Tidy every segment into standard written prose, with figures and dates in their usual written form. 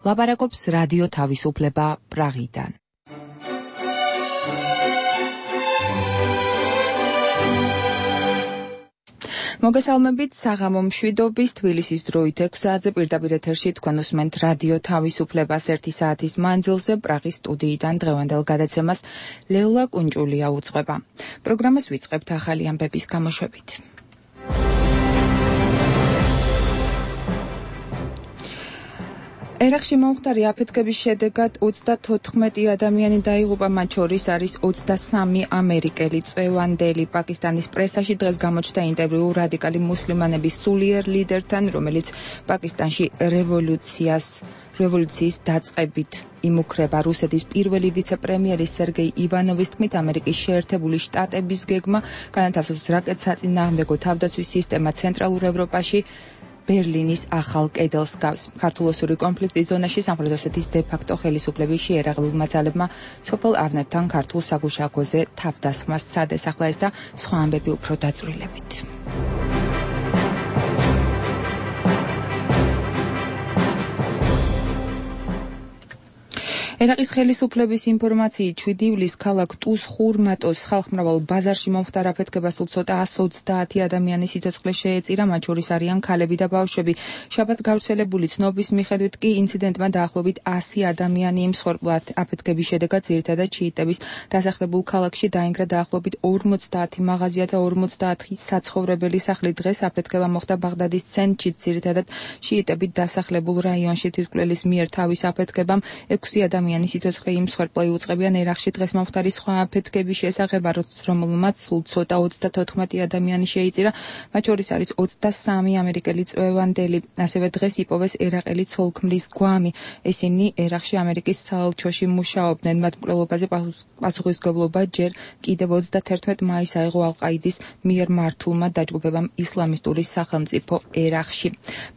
ლაპარაკობს რადიო თავისუფლება პრაღიდან. მოგესალმებით საღამო მშვიდობის თბილისის დროით 6 საათზე პირდაპირ ეთერში თქვენ უსმენთ რადიო თავისუფლებას 1 საათის მანძილზე პრაღის სტუდიიდან დღევანდელ გადაცემას ლელა კუნჭულია უძღვება. პროგრამას ვიწყებთ ახალი ამბების გამოშვებით. ერაყში მომხდარი აფეთქების შედეგად 34 ადამიანი დაიღუპა, მათ შორის არის 23 ამერიკელი წვევანდელი. პაკისტანის პრესაში დღეს გამოჩნდა ინტერვიუ რადიკალი მუსლიმანების სულიერ ლიდერთან, რომელიც პაკისტანში რევოლუციის დაწყებით იმუქრება. რუსეთის პირველი ვიცე-პრემიერის სერგეი ივანოვის თქმით, ამერიკის შეერთებული შტატების გეგმა განათავსოს რაკეტსაწინააღმდეგო თავდაცვის სისტემა ცენტრალურ ევროპაში ბერლინის ახალ კედელს გავს. ქართულ-ოსური კონფლიქტის ზონაში სამხრეთ ოსეთის დე-ფაქტო ხელისუფლების შეერაღებულმა ძალებმა სოფელ ავნებთან ქართულ საგუშაგოზე თავდასხმას სცადეს. ახლა ეს და სხვა ამბები უფრო დაწვრილებით. ერაყის ხელისუფლების ინფორმაციით 7 ივლისს ქალაქ ტუს ხურმატოს ხალხმრავალ ბაზარში მომხდარ აფეთქებას სულ ცოტა 130 ადამიანის სიცოცხლე შეეწირა, მათ შორის არიან ქალები და ბავშვები. შაბათს გავრცელებული ცნობის მიხედვით კი ინციდენტმა დაახლოებით 100 ადამიანი იმსხვერპლა. აფეთქების შედეგად ძირითადად შიიტების დასახლებულ ქალაქში დაინგრა დაახლოებით 50 მაღაზია და 50 საცხოვრებელი სახლი. დღეს აფეთქება მოხდა ბაღდადის ცენტრში, ძირითადად შიიტებით დასახლებულ რაიონში. თვითმკვლელის მიერ თავის აფეთქებამ 6 ადამიანი სიცოცხლე იმსხვერპლი უწყებიან. ერაყში დღეს მომხდარი სხვა აფეთქების შესახებ, რომელმაც სულ ცოტა 34 ადამიანი შეიწირა, მათ შორის არის 23 ამერიკელი წვევანდელი. ასევე დღეს იპოვეს ერაყელი ცოლ-ქმრის გვამი. ესენი ერაყში ამერიკის საელჩოში მუშაობდნენ. მათ მკვლელობაზე პასუხისმგებლობა ჯერ კიდევ 31 მაისს აიღო ალ-ყაიდის მიერ მართულმა დაჯგუფებამ ისლამისტური სახელმწიფო ერაყში.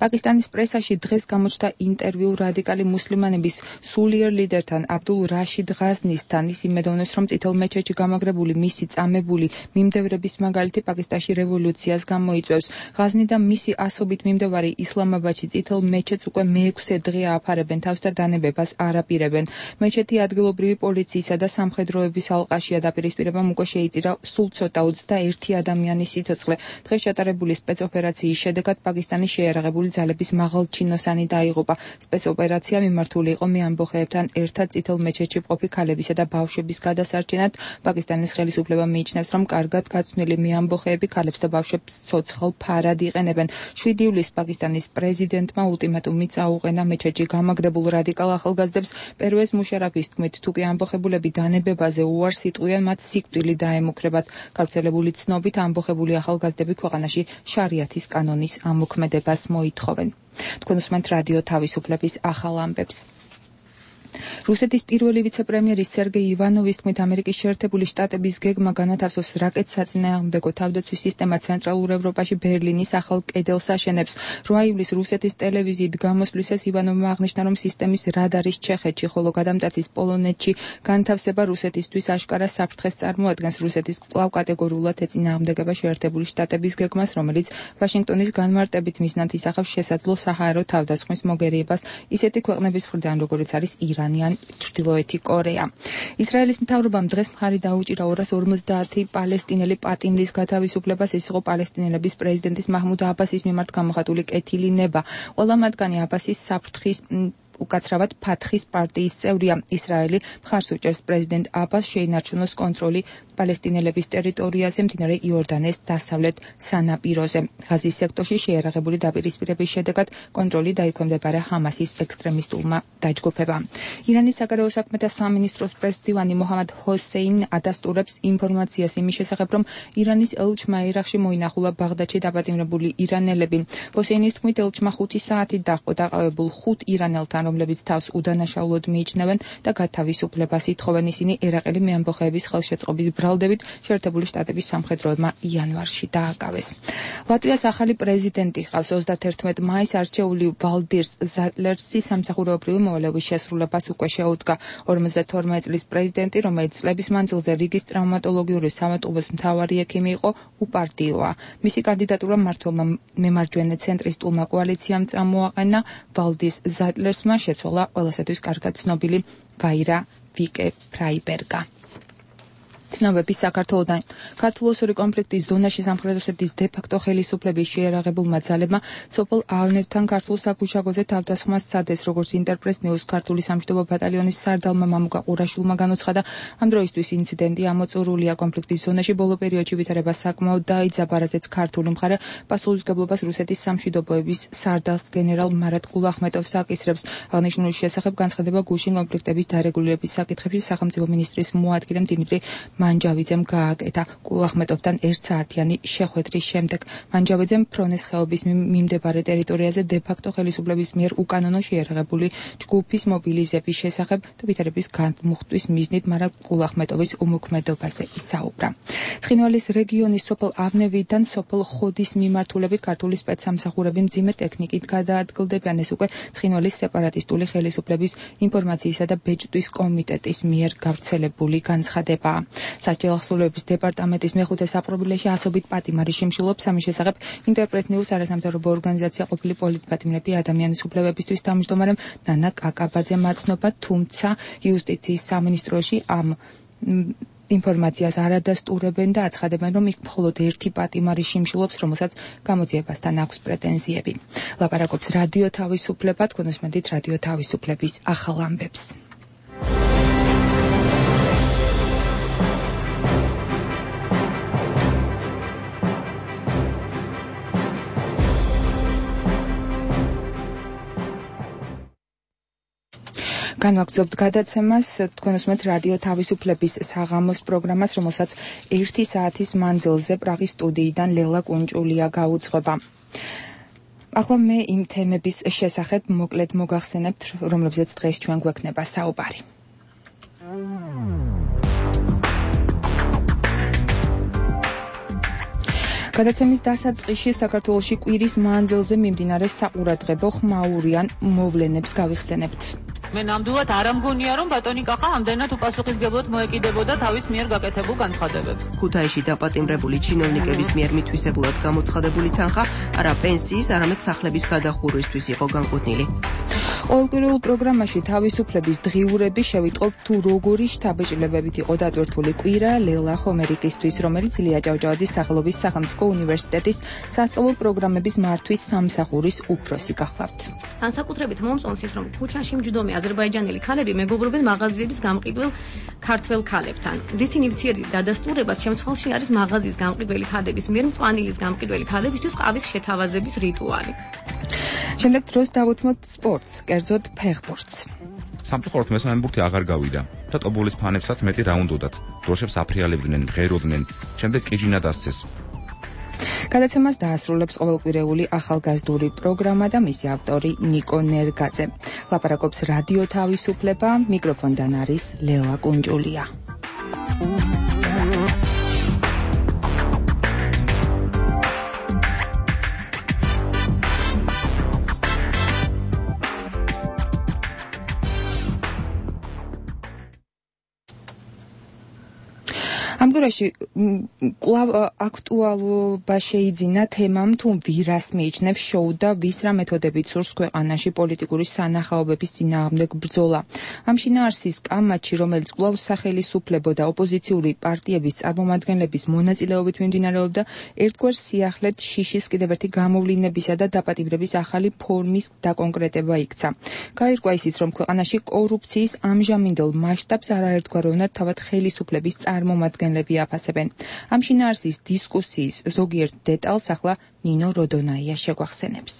პაკისტანის პრესაში დღეს გამოჩნდა ინტერვიუ რადიკალი მუსლიმანების სულიერ ლიდერთან აბდულ რაშიდ ღაზნისთან. ის იმედოვნებს, რომ წითელ მეჩეთში გამაგრებული მისი წამებული მიმდევრების მაგალითი პაკისტანში რევოლუციას გამოიწვევს. ღაზნი და მისი ასობით მიმდევარი ისლამაბადში წითელ მეჩეთს უკვე მე-6 დღეა აფარებენ თავს და დანებებას არ აპირებენ. მეჩეთი ადგილობრივი პოლიციისა და სამხედროების ალყაშია. დაპირისპირებამ უკვე შეიწირა სულ ცოტა 21 ადამიანის სიცოცხლე. დღეს ჩატარებული სპეცოპერაციის შედეგად პაკისტანის შეიარაღებული ძალების მაღალჩინოსანი დაიღუპა. სპეცოპერაცია მიმართული იყო მეამბოხეებთან ერთად წითელ მეჩეთში მყოფი ქალებისა და ბავშვების გადასარჩენად. პაკისტანის ხელისუფლება მიიჩნევს, რომ კარგად გაცნული მეამბოხეები ქალებს და ბავშვებს ცოცხალ ფარად იყენებენ. 7 ივლისს პაკისტანის პრეზიდენტმა ულტიმატუმი წაუყენა მეჩეთში გამაგრებულ რადიკალ ახალგაზრდებს. პერვეზ მუშარაფის თქმით, თუ კი ამბოხებულები დანებებაზე უარს იტყვიან, მათ სიკვდილი დაემუქრებათ. გავრცელებული ცნობით, ამბოხებული ახალგაზრდები ქვეყანაში შარიათის კანონის ამოქმედებას მოითხოვენ. თქვენ უსმენთ რადიო თავისუფლების ახალ ამბებს. რუსეთის პირველი ვიცე-პრემიერის სერგეი ივანოვის თქმით, ამერიკის შეერთებული შტატების გეგმა განათავსოს რაკეტსაწინააღმდეგო თავდაცვის სისტემა ცენტრალურ ევროპაში ბერლინის ახალ კედელს აშენებს. 8 ივლისს რუსეთის ტელევიზიით გამოსვლისას ივანოვმა აღნიშნა, რომ სისტემის რადარის ჩეხეთში, ხოლო გადამტაცის პოლონეთში განთავსება რუსეთისთვის აშკარა საფრთხეს წარმოადგენს. რუსეთის კვლავ კატეგორიულად ეწინააღმდეგება შეერთებული შტატების გეგმას, რომელიც ვაშინგტონის განმარტებით მიზნად ისახავს შესაძლო საჰაერო თავდასხმის მოგერიებას ისეთი ქვეყნების მხრიდან, როგორიც არის ირანიან ჩრდილოეთი კორეა. ისრაელის მთავრობამ დღეს მხარი დაუჭირა 250 პალესტინელი პატიმრის გათავისუფლებას. ეს იყო პალესტინელების პრეზიდენტის მაჰმუდ აბასის მიმართ გამოხატული კეთილი ნება. ყველა მათგანი აბასის საფრთხის უკაცრავად ფათხის პარტიის წევრია. ისრაელი მხარს უჭერს პრეზიდენტ აბას შეინარჩუნოს კონტროლი პალესტინელების ტერიტორიაზე მდინარე იორდანეს დასავლეთ სანაპიროზე. ღაზის სექტორში შეიარაღებული დაპირისპირების შედეგად კონტროლი დაიქვემდებარა ჰამასის ექსტრემისტულმა დაჯგუფებამ. ირანის საგარეო საქმეთა სამინისტროს პრესდივანი მოჰამად ჰოსეინ ადასტურებს ინფორმაციას იმის შესახებ, რომ ირანის ელჩმა ერაყში მოინახულა ბაღდადში დაპატიმრებული ირანელები. ჰოსეინის თქმით, ელჩმა 5 საათით დაჰყო დაყავებულ 5 ირანელთან, რომლებიც თავს უდანაშაულოდ მიიჩნევენ და გათავისუფლებას ითხოვენ. ისინი ერაყელი მეამბოხეების ხელშეწყობის ბრალდებით შეერთებული შტატების სამხედროებმა იანვარში დააკავეს. ლატვიას ახალი პრეზიდენტი ყავს. 31 მაისს არჩეული ვალდირს ზატლერსი სამსახურეობრივი მოვალეობის შესრულებას უკვე შეუდგა. 52 წლის პრეზიდენტი, რომელიც წლების მანძილზე რიგის ტრაუმატოლოგიური სამატყურის მთავარი ექიმი იყო, უპარტიოა. მისი კანდიდატურა მმართველმა მემარჯვენე ცენტრისტულმა კოალიციამ წამოაყენა. ვალდის ზატლერსმა მან შეცვალა ყველასათვის კარგად ცნობილი ვაირა ვიკე ფრაიბერგა. ცნობები საქართველოდან ქართულ-ოსური კონფლიქტის ზონაში სამხრეთ ოსეთის დე-ფაქტო ხელისუფლების შეერაღებულმა ძალებმა სოფელ ავნებთან ქართულ საგუშაგოზე თავდასხმა სცადეს, როგორც ინტერპრეს ნიუს ქართული სამშვიდობო ბატალიონის სარდალმა მამუკა ყურაშვილმა განუცხადა. ამ დროისთვის ინციდენტი ამოწურულია კონფლიქტის ზონაში, ბოლო პერიოდში ვითარება საკმაოდ დაიძაბა, რაზეც ქართული მხარე პასუხისმგებლობას რუსეთის სამშვიდობოების სარდალს გენერალ მარატ გულახმეტოვს აკისრებს. აღნიშნულის შესახებ განცხადება გუშინ კონფლიქტების დარეგულირების საკითხებში სახელმწიფო მინისტრის მოადგილემ დიმიტრი მანჯავიძემ გააკეთა. გულახმეტოვთან 1 საათიანი შეხვედრის შემდეგ მანჯავიძემ ფრონეს ხეობის მიმდებარე ტერიტორიაზე დე-ფაქტო ხელისუფლების მიერ უკანონო შეერაღებული ჯგუფის მობილიზების შესახებ და ვითარების განმუხტვის მიზნით მარატ გულახმეტოვის უმოქმედობაზე ისაუბრა. ცხინვალის რეგიონის სოფელ ავნევიდან სოფელ ხოდის მიმართულებით ქართული სპეცსამსახურები მძიმე ტექნიკით გადაადგილდებიან. ეს უკვე ცხინვალის სეპარატისტული ხელისუფლების ინფორმაციისა და ბეჭდვის კომიტეტის მიერ გავრცელებული განცხადებაა. სასჯელ ახსოვლების დეპარტამენტის მეხუთე საპრობილეში ასობით პატიმარი შიმშილობს. ამის შესახებ ინტერპრეს ნიუს არასამთავრობო ორგანიზაცია ყოფილი პოლიტპატიმრები ადამიანის უფლებებისთვის თავმჯდომარემ ნანა კაკაბაძემ აცნობა, თუმცა იუსტიციის სამინისტროში ამ ინფორმაციას არ ადასტურებენ და აცხადებენ, რომ იქ მხოლოდ ერთი პატიმარი შიმშილობს, რომელსაც გამოძიებასთან აქვს პრეტენზიები. ლაპარაკობს რადიო თავისუფლება, თქვენ უსმენთ რადიო თავისუფლების ახალ ამბებს. განვაგრძობთ გადაცემას, თქვენ უსმენთ რადიო თავისუფლების საღამოს პროგრამას, რომელსაც 1 საათის მანძილზე პრაღის სტუდიიდან ლელა კუნჭულია გაუძღვება. ახლა მე იმ თემების შესახებ მოკლედ მოგახსენებთ, რომლებზეც დღეს ჩვენ გვექნება საუბარი. გადაცემის დასაწყისში საქართველოში კვირის მანძილზე მიმდინარე საყურადღებო ხმაურიან მოვლენებს გავიხსენებთ. მე ნამდვილად არ ამგონია, რომ ბატონი კახა ამდენად უპასუხისმგებლოდ მოეკიდებოდა თავის მიერ გაკეთებულ განცხადებებს. ქუთაისში დაპატიმრებული ჩინოვნიკების მიერ მითვისებულად გამოცხადებული თანხა არა პენსიის, არამედ სახლების გადახურვისთვის იყო განკუთვნილი. ყოველკვირეულ პროგრამაში თავისუფლების დღიურები შევიტყობთ თუ როგორი შთაბეჭდილებებით იყო დატვირთული კვირა ლელა ხომერიკისთვის, რომელიც ილია ჭავჭავაძის სახელობის სახელმწიფო უნივერსიტეტის სასწავლო პროგრამების მართვის სამსახურის უფროსი გახლავთ. განსაკუთრებით მომწონს ის, რომ ქუჩაში მჯდომი აზერბაიჯანელი ქალები მეგობრობენ მაღაზიების გამყიდველ ქართველ ქალებთან. რისი ნივთიერი დადასტურებას შემცვალში არის მაღაზიის გამყიდველი ქალების მიერ მწვანილის გამყიდველი ქალებისთვის ყავის შეთავაზების რიტუალი. შემდეგ დროს დავუთმოთ სპორტს, კერძოდ ფეხბურთს. სამწუხაროდ მესამე ბურთი აღარ გავიდა და ტობოლის ფანებსაც მეტი რა უნდათ. დროშებს აფრიალებდნენ, ღეროდნენ, შემდეგ კიჯინა დასცეს. გადაცემას დაასრულებს ყოველკვირეული ახალგაზრდული პროგრამა და მისი ავტორი ნიკო ნერგაძე. ლაპარაკობს რადიო თავისუფლება, მიკროფონთან არის ლელა კუნჭულია. ამ დროში კვლავ აქტუალობა შეიძინა თემამ თუ ვირას მიიჩნევს შოუ და ვის რა მეთოდებით სურს ქვეყანაში პოლიტიკური სანახაობების წინააღმდეგ ბრძოლა. ამ შინაარსის კამათში, რომელიც კვლავ სახელისუფლებო და ოპოზიციური პარტიების წარმომადგენლების მონაწილეობით მიმდინარეობდა, ერთგვარ სიახლედ შიშის კიდევ ერთი გამოვლინებისა და დაპატიმრების ახალი ფორმის დაკონკრეტება იქცა. გაირკვა ისიც, რომ ქვეყანაში კორუფციის ამჟამინდელ მასშტაბს არაერთგვაროვნად თავად ხელისუფლების წარმომადგენლები აფასებენ. ამ შინაარსის დისკუსიის ზოგიერთ დეტალს ახლა ნინო როდონაია შეგვახსენებს.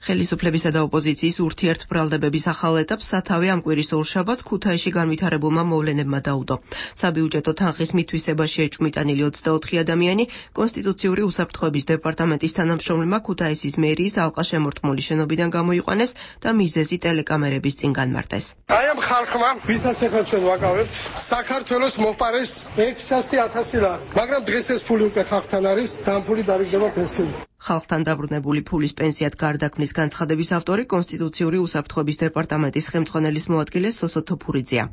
ხელისუფლებისა და ოპოზიციის ურთიერთბრალდებების ახალ ეტაპს სათავე ამ კვირის ორშაბათს ქუთაისში განვითარებულმა მოვლენებმა დაუდო. საბიუჯეტო თანხის მითვისებაში ეჭვმიტანილი 24 ადამიანი კონსტიტუციური უსაფრთხოების დეპარტამენტის თანამშრომლმა ქუთაისის მერიის ალყა შემორტყმული შენობიდან გამოიყვანეს და მიზეზი ტელეკამერების წინ განმარტეს. აი ამ ხალხმა, ვისაც ახლა ჩვენ ვაკავებთ, საქართველოს მოყარეს 600,000 ლარი, მაგრამ დღეს ეს ფული უკვე ხალხთან არის, და ამ ფული დარიგდება პენსიით. ხალხთან დაბრუნებული ფულის პენსიად გარდაქმნის განცხადების ავტორი კონსტიტუციური უსაფრთხოების დეპარტამენტის ხელმძღვანელის მოადგილე სოსო თოფურიძეა.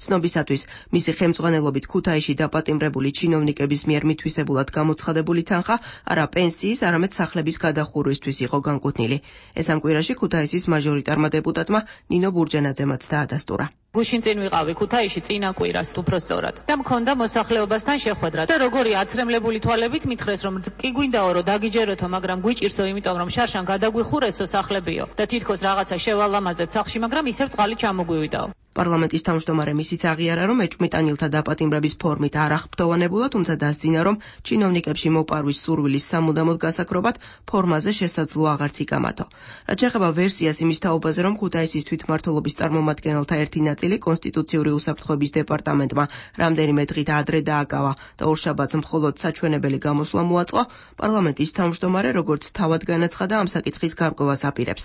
ცნობისათვის, მისი ხელმძღვანელობით ქუთაისში დაპატიმრებული ჩინოვნიკების მიერ მითვისებულად გამოცხადებული თანხა არა პენსიის, არამედ სახლების გადახურვისთვის იყო განკუთვნილი. ეს ამ კვირაში ქუთაისის მაჟორიტარმა დეპუტატმა ნინო ბურჯანაძემაც დაადასტურა. გუშინ წინ ვიყავი ქუთაისში წინა კვირას უпростоრად და მქონდა მოსახლეობასთან შეხვედრა და როგორი აცრემლებული თვალებით მითხრეს რომ კი გვინდაო რომ დაგიჯეროთო მაგრამ გვიჭირსო იმიტომ რომ შარშან გადაგვიხურესო სახლებიო და თითქოს რაღაცა შევალამაზეთ სახლში მაგრამ ისევ წყალი ჩამოგვივიდაო. პარლამენტის თავმჯდომარე ისიც აღიარა, რომ ეჭვმიტანილთა დაპატიმრების ფორმით არ აღფრთოვანებულა, თუმცა დასძინა, რომ ჩინოვნიკებში მოპარვის სურვილის სამუდამოდ გასაკრობად ფორმაზე შესაძლო აღარც იკამათო. რაც შეეხება ვერსიას იმის თაობაზე, რომ ქუთაისის თვითმმართველობის წარმომადგენელთა ერთი ნაწილი კონსტიტუციური უსაფრთხოების დეპარტამენტმა რამდენიმე დღით ადრე დააკავა და ორშაბათს მხოლოდ საჩვენებელი გამოსვლა მოაწყო, პარლამენტის თავმჯდომარე როგორც თავად განაცხადა ამ საკითხის გარკვევას აპირებს.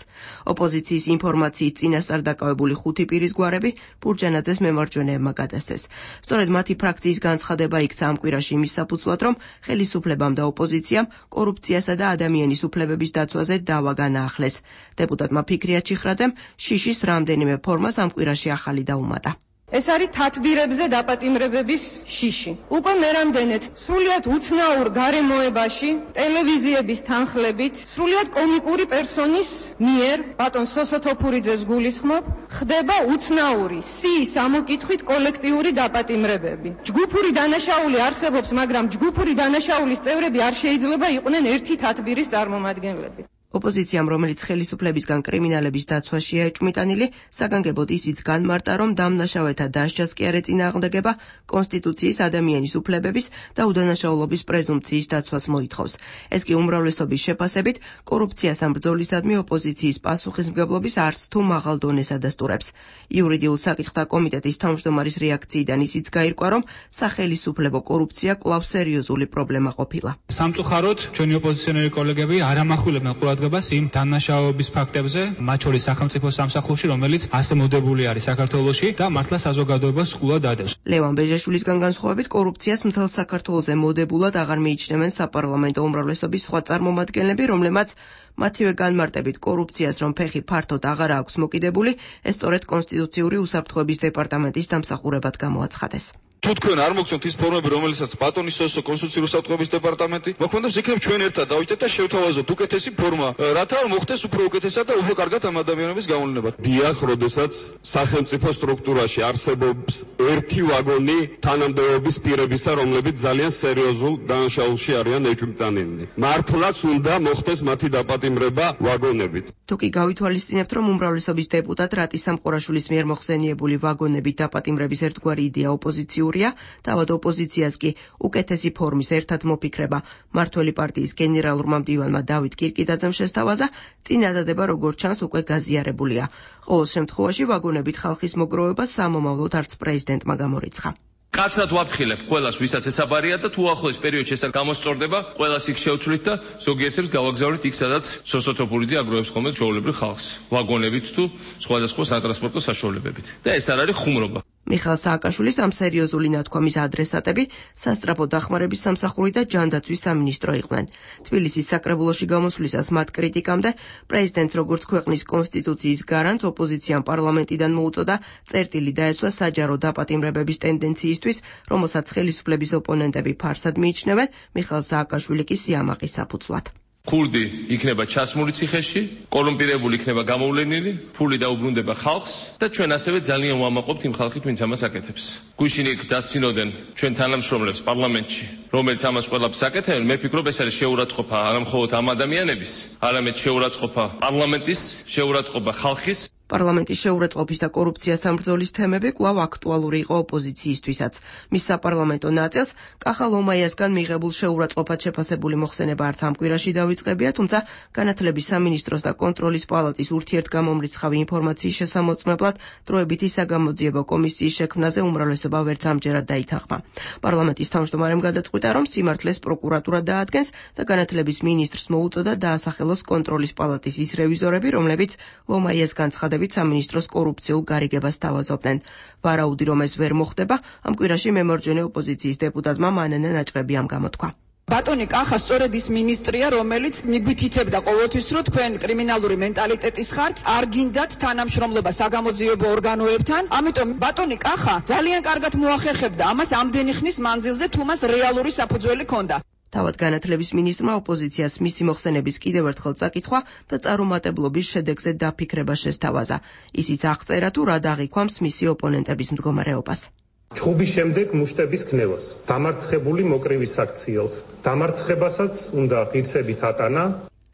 ოპოზიციის ინფორმაციით წინასწარ დაკავებული 5 პირის გვარები ბურჯანაძეს მემარჯვენეებმა გადასცეს. სწორედ მათი ფრაქციის განცხადება იქცა ამ კვირაში იმის საფუძვლად, რომ ხელისუფლებამ და ოპოზიციამ კორუფციასა და ადამიანის უფლებების დაცვაზე დავა განაახლეს. დეპუტატმა ფიქრია ჩიხრაძემ შიშის რამდენიმე ფორმას ამ კვირაში ახალი დაუმატა. ეს არის თათბირებზე დაპატიმრებების შიში. უკვე მერამდენეთ სრულიად უცნაურ გარემოებაში, ტელევიზიების თანხლებით, სრულიად კომიკური პერსონის მიერ, ბატონ სოსო თოფურიძეს გულისხმობ, ხდება უცნაური სიის ამოკითხვით კოლექტიური დაპატიმრებები. ჯგუფური დანაშაული არსებობს, მაგრამ ჯგუფური დანაშაულის წევრები არ შეიძლება იყვნენ ერთი თათბირის წარმომადგენლები. ოპოზიციამ, რომელიც ხელისუფლებისგან კრიმინალების დაცვაშია ეჭვმიტანილი, საგანგებოდ ისიც განმარტა, რომ დამნაშავეთა დასჯას კი არ ეწინააღმდეგება კონსტიტუციის ადამიანის უფლებების და უდანაშაულობის პრეზუმპციის დაცვას მოითხოვს. ეს კი უმრავლესობის შეფასებით კორუფციასთან ბრძოლისადმი ოპოზიციის პასუხისმგებლობის არც თუ მაღალ დონეს ადასტურებს. იურიდიულ საკითხთა კომიტეტის თავმჯდომარის რეაქციიდან ისიც გაირკვა, რომ სახელისუფლებო კორუფცია კვლავ სერიოზული პრობლემა ყოფილა. სამწუხაროდ, ჩვენი ოპოზიციონერი კოლეგები არ ამახვილებენ ყურადღებას იმ დანაშაულების ფაქტებზე, მათ შორის სახელმწიფო სამსახურში, რომელიც ასე მოდებული არის საქართველოში და მართლა საზოგადოებას სკულად ადევს. ლევან ბეჟაშვილისგან განსხვავებით, კორუფციას მთელ საქართველოზე მოდებულად აღარ მიიჩნევენ საპარლამენტო უმრავლესობის სხვა წარმომადგენლები, რომლებმაც მათივე განმარტებით კორუფციას რომ ფეხი ფართოდ აღარ აქვს მოკიდებული, ეს სწორედ კონსტიტუციური უსაფრთხოების დეპარტამენტის დამსახურებად გამოაცხადეს. თუ თქვენ არ მოგცემთ ის ფორმები, რომელსაც ბატონი სოსო კონსტიტუციური უსაფრთხოების დეპარტამენტი მოქმედებს, იქნებ ჩვენ ერთად დავიჭდეთ და შევთავაზოთ უკეთესი ფორმა, რათა მოხდეს უფრო უკეთესად და უფრო კარგად ამ ადამიანების გამოვლენა. დიახ, როდესაც სახელმწიფო სტრუქტურაში არსებობს ერთი ვაგონი თანამდებობის პირებისა, რომლებიც ძალიან სერიოზულ დანაშაულში არიან ეჭვმიტანილნი. მართლაც უნდა მოხდეს მათი დაპატიმრება ვაგონებით. თუ კი გავითვალისწინებთ, რომ უმრავლესობის დეპუტატ რატი სამყურაშვილის მიერ მოხსენიებული ვაგონებით დაპატიმრების ერთგვარი იდეა ოპოზიციურია, თავად ოპოზიციას კი უკეთესი ფორმის ერთად მოფიქრება მმართველი პარტიის გენერალურმა მდივანმა დავით კირკიდაძემ შესთავაზა, წინადადება როგორც ჩანს უკვე გაზიარებულია. ყოველ შემთხვევაში ვაგონებით ხალხის მოგროვება სამომავლოდ არც პრეზიდენტმა გამორიცხა. კაცად ვაფრთხილებ ყველას, ვისაც ესაბარია და თუ ახლოს პერიოდში ეს გამოსწორდება, ყველას იქ შევცვლით და ზოგიერთებს გავაგზავნით იქ, სადაც სოსო თოფურიძე აგროვებს ხოლმე ჩვეულებრივ ხალხს, ვაგონებით თუ სხვადასხვა სატრანსპორტო საშუალებებით. და ეს არ არის ხუმრობა. მიხეილ სააკაშვილის ამ სერიოზული ნათქვამის ადრესატები სასწრაფო დახმარების სამსახური და ჯანდაცვის სამინისტრო იყვნენ. თბილისის საკრებულოში გამოსვლისას მათ კრიტიკამდე პრეზიდენტს როგორც ქვეყნის კონსტიტუციის გარანტს ოპოზიციამ პარლამენტიდან მოუწოდა წერტილი დაესვა საჯარო დაპატიმრებების ტენდენციისთვის, რომელსაც ხელისუფლების ოპონენტები ფარსად მიიჩნევენ, მიხეილ სააკაშვილი კი სიამაყის საფუძვლად. ქურდი იქნება ჩასმული ციხეში, კორუმპირებული იქნება გამოვლენილი, ფული დაუბრუნდება ხალხს და ჩვენ ასევე ძალიან ვამაყობთ იმ ხალხით, ვინც ამას აკეთებს. გუშინ იქ დასცინოდნენ ჩვენ თანამშრომლებს პარლამენტში, რომელიც ამას ყველაფერს აკეთებენ. მე ვფიქრობ, ეს არის შეურაცხყოფა არა მხოლოდ ამ ადამიანების, არამედ შეურაცხყოფა პარლამენტის, შეურაცხყოფა ხალხის. პარლამენტის შეურაცხყოფის და კორუფციას სამბრძოლის თემები კვლავ აქტუალური იყო ოპოზიციისთვისაც. მის საპარლამენტო ნაწილს კახა ლომაიასგან მიღებულ შეურაცხყოფად შეფასებული მოხსენება არც ამ კვირაში დავიწყებია, თუმცა განათლების სამინისტროს და კონტროლის პალატის ურთიერთგამომრიცხავი ინფორმაციის შესამოწმებლად დროებითი საგამოძიებო კომისიის შექმნაზე უმრავლესობა ვერც ამჯერად დაითანხმა. პარლამენტის თავმჯდომარემ გადაწყვიტა, რომ სიმართლეს პროკურატურა დაადგენს და განათლების მინისტრს მოუწოდა დაასახელოს კონტროლის პალატის ის რევიზორები, რომლებიც ლომაიას განცხადა სამინისტროს კორუფციულ გარიგებას თავაზობდნენ. ვარაუდი, რომ ეს ვერ მოხდება, ამ კვირაში მემარჯვენე ოპოზიციის დეპუტატმა მანანა ნაჭყებიამ გამოთქვა. ბატონი კახა სწორედ ის მინისტრია, რომელიც მიგვითითებდა ყოველთვის, რომ თქვენ კრიმინალური მენტალიტეტის ხართ, არ გინდათ თანამშრომლობა საგამოძიებო ორგანოებთან, ამიტომ ბატონი კახა ძალიან კარგად მოახერხებდა ამას ამდენი ხნის მანძილზე, თუ მას რეალური საფუძველი ჰქონდა. თავად განათლების მინისტრმა ოპოზიციას მისი მოხსენების კიდევ ერთხელ წაკითხვა და წარუმატებლობის შედეგზე დაფიქრება შესთავაზა. ისიც აღწერა თუ რა დაღიქვამს მისი ოპონენტების მდგომარეობას. ჩხუბის შემდეგ მუშტების ქნევას, დამარცხებული მოკრივის აქციელს, დამარცხებასაც უნდა ღირსებით ატანა.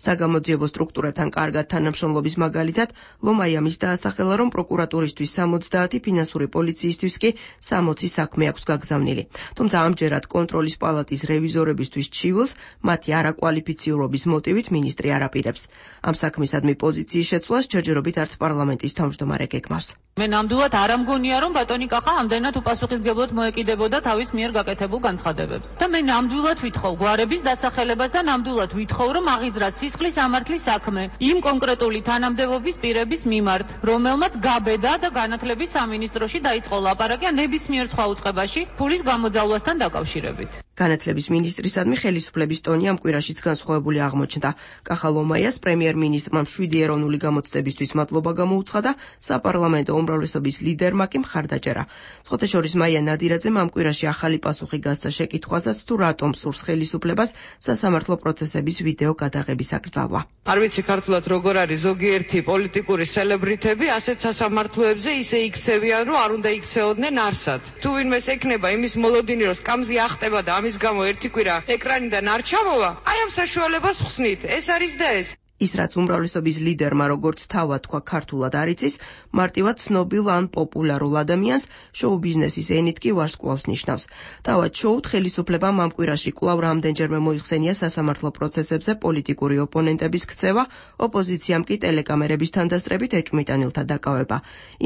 საგამოძიებო სტრუქტურათან კარგად თანამშრომლობის მაგალითად ლომაია მის დაასახელა, რომ პროკურატურისთვის 70, ფინანსური პოლიციისთვის კი 60 საქმე აქვს გაგზავნილი. თუმცა ამჯერად კონტროლის პალატის რევიზორებისთვის ჩივილს მათი არაკვალიფიციურობის მოტივით მინისტრი არ აპირებს. ამ საქმისადმი პოზიციის შეცვლას ჯერჯერობით არც პარლამენტის თავმჯდომარე გეგმავს. მე ნამდვილად არ ამგონია, რომ ბატონი კახა ამდენად უპასუხისმგებლად მოეკიდებოდა თავის მიერ გაკეთებულ განცხადებებს. და მე ნამდვილად ვითხოვ გვარების დასახელებას და ნამდვილად ვითხოვ, რომ აღიძრას სისხლის ამართლის საქმე იმ კონკრეტული თანამდებობის პირების მიმართ, რომელმაც გაბედა და განათლების სამინისტროში დაიწყო ლაპარაკი ნებისმიერ სხვა უწყებაში ფულის გამოძალვასთან დაკავშირებით. განათლების მინისტრისადმი ხელისუფლების ტონი ამ კვირაშიც განსხვავებული აღმოჩნდა. კახა ლომაიას პრემიერ-მინისტრმა 7 ეროვნული გამოცდებისთვის მადლობა გამოუცხადა, საპარლამენტო უმრავლესობის ლიდერმა კი მხარდაჭერა. ხოთეშორის მაია ნადირაძემ ამ კვირაში ახალი პასუხი გასცა შეკითხვასაც, თუ რატომ სურს ხელისუფლებას სასამართლო პროცესების ვიდეო გადაღების აკრძალვა. არ ვიცი ქართულად როგორ არის ზოგიერთი პოლიტიკური სელებრიტები ასეთ სასამართლოებზე ისე იქცევიან, რომ არ უნდა იქცეოდნენ არსად. თუ ვინმეს ექნება იმის მოლოდინი, რომ სკამზე ახტება და ამის გამო ერთი კვირა ეკრანიდან არ ჩამოვა, აი ამ საშუალებას ხსნით. ეს არის და ეს. ის რაც უმრავლესობის ლიდერმა როგორც თავად თქვა ქართულად არ იცის, მარტივად ცნობილ ან პოპულარულ ადამიანს შოუ ბიზნესის ენით კი ვარსკვლავს ნიშნავს. თავად შოუთ ხელისუფლებამ ამ კვირაში კვლავ რამდენჯერმე მოიხსენია სასამართლო პროცესებზე პოლიტიკური ოპონენტების ქცევა, ოპოზიციამ კი ტელეკამერების თანდასწრებით ეჭვმიტანილთა დაკავება.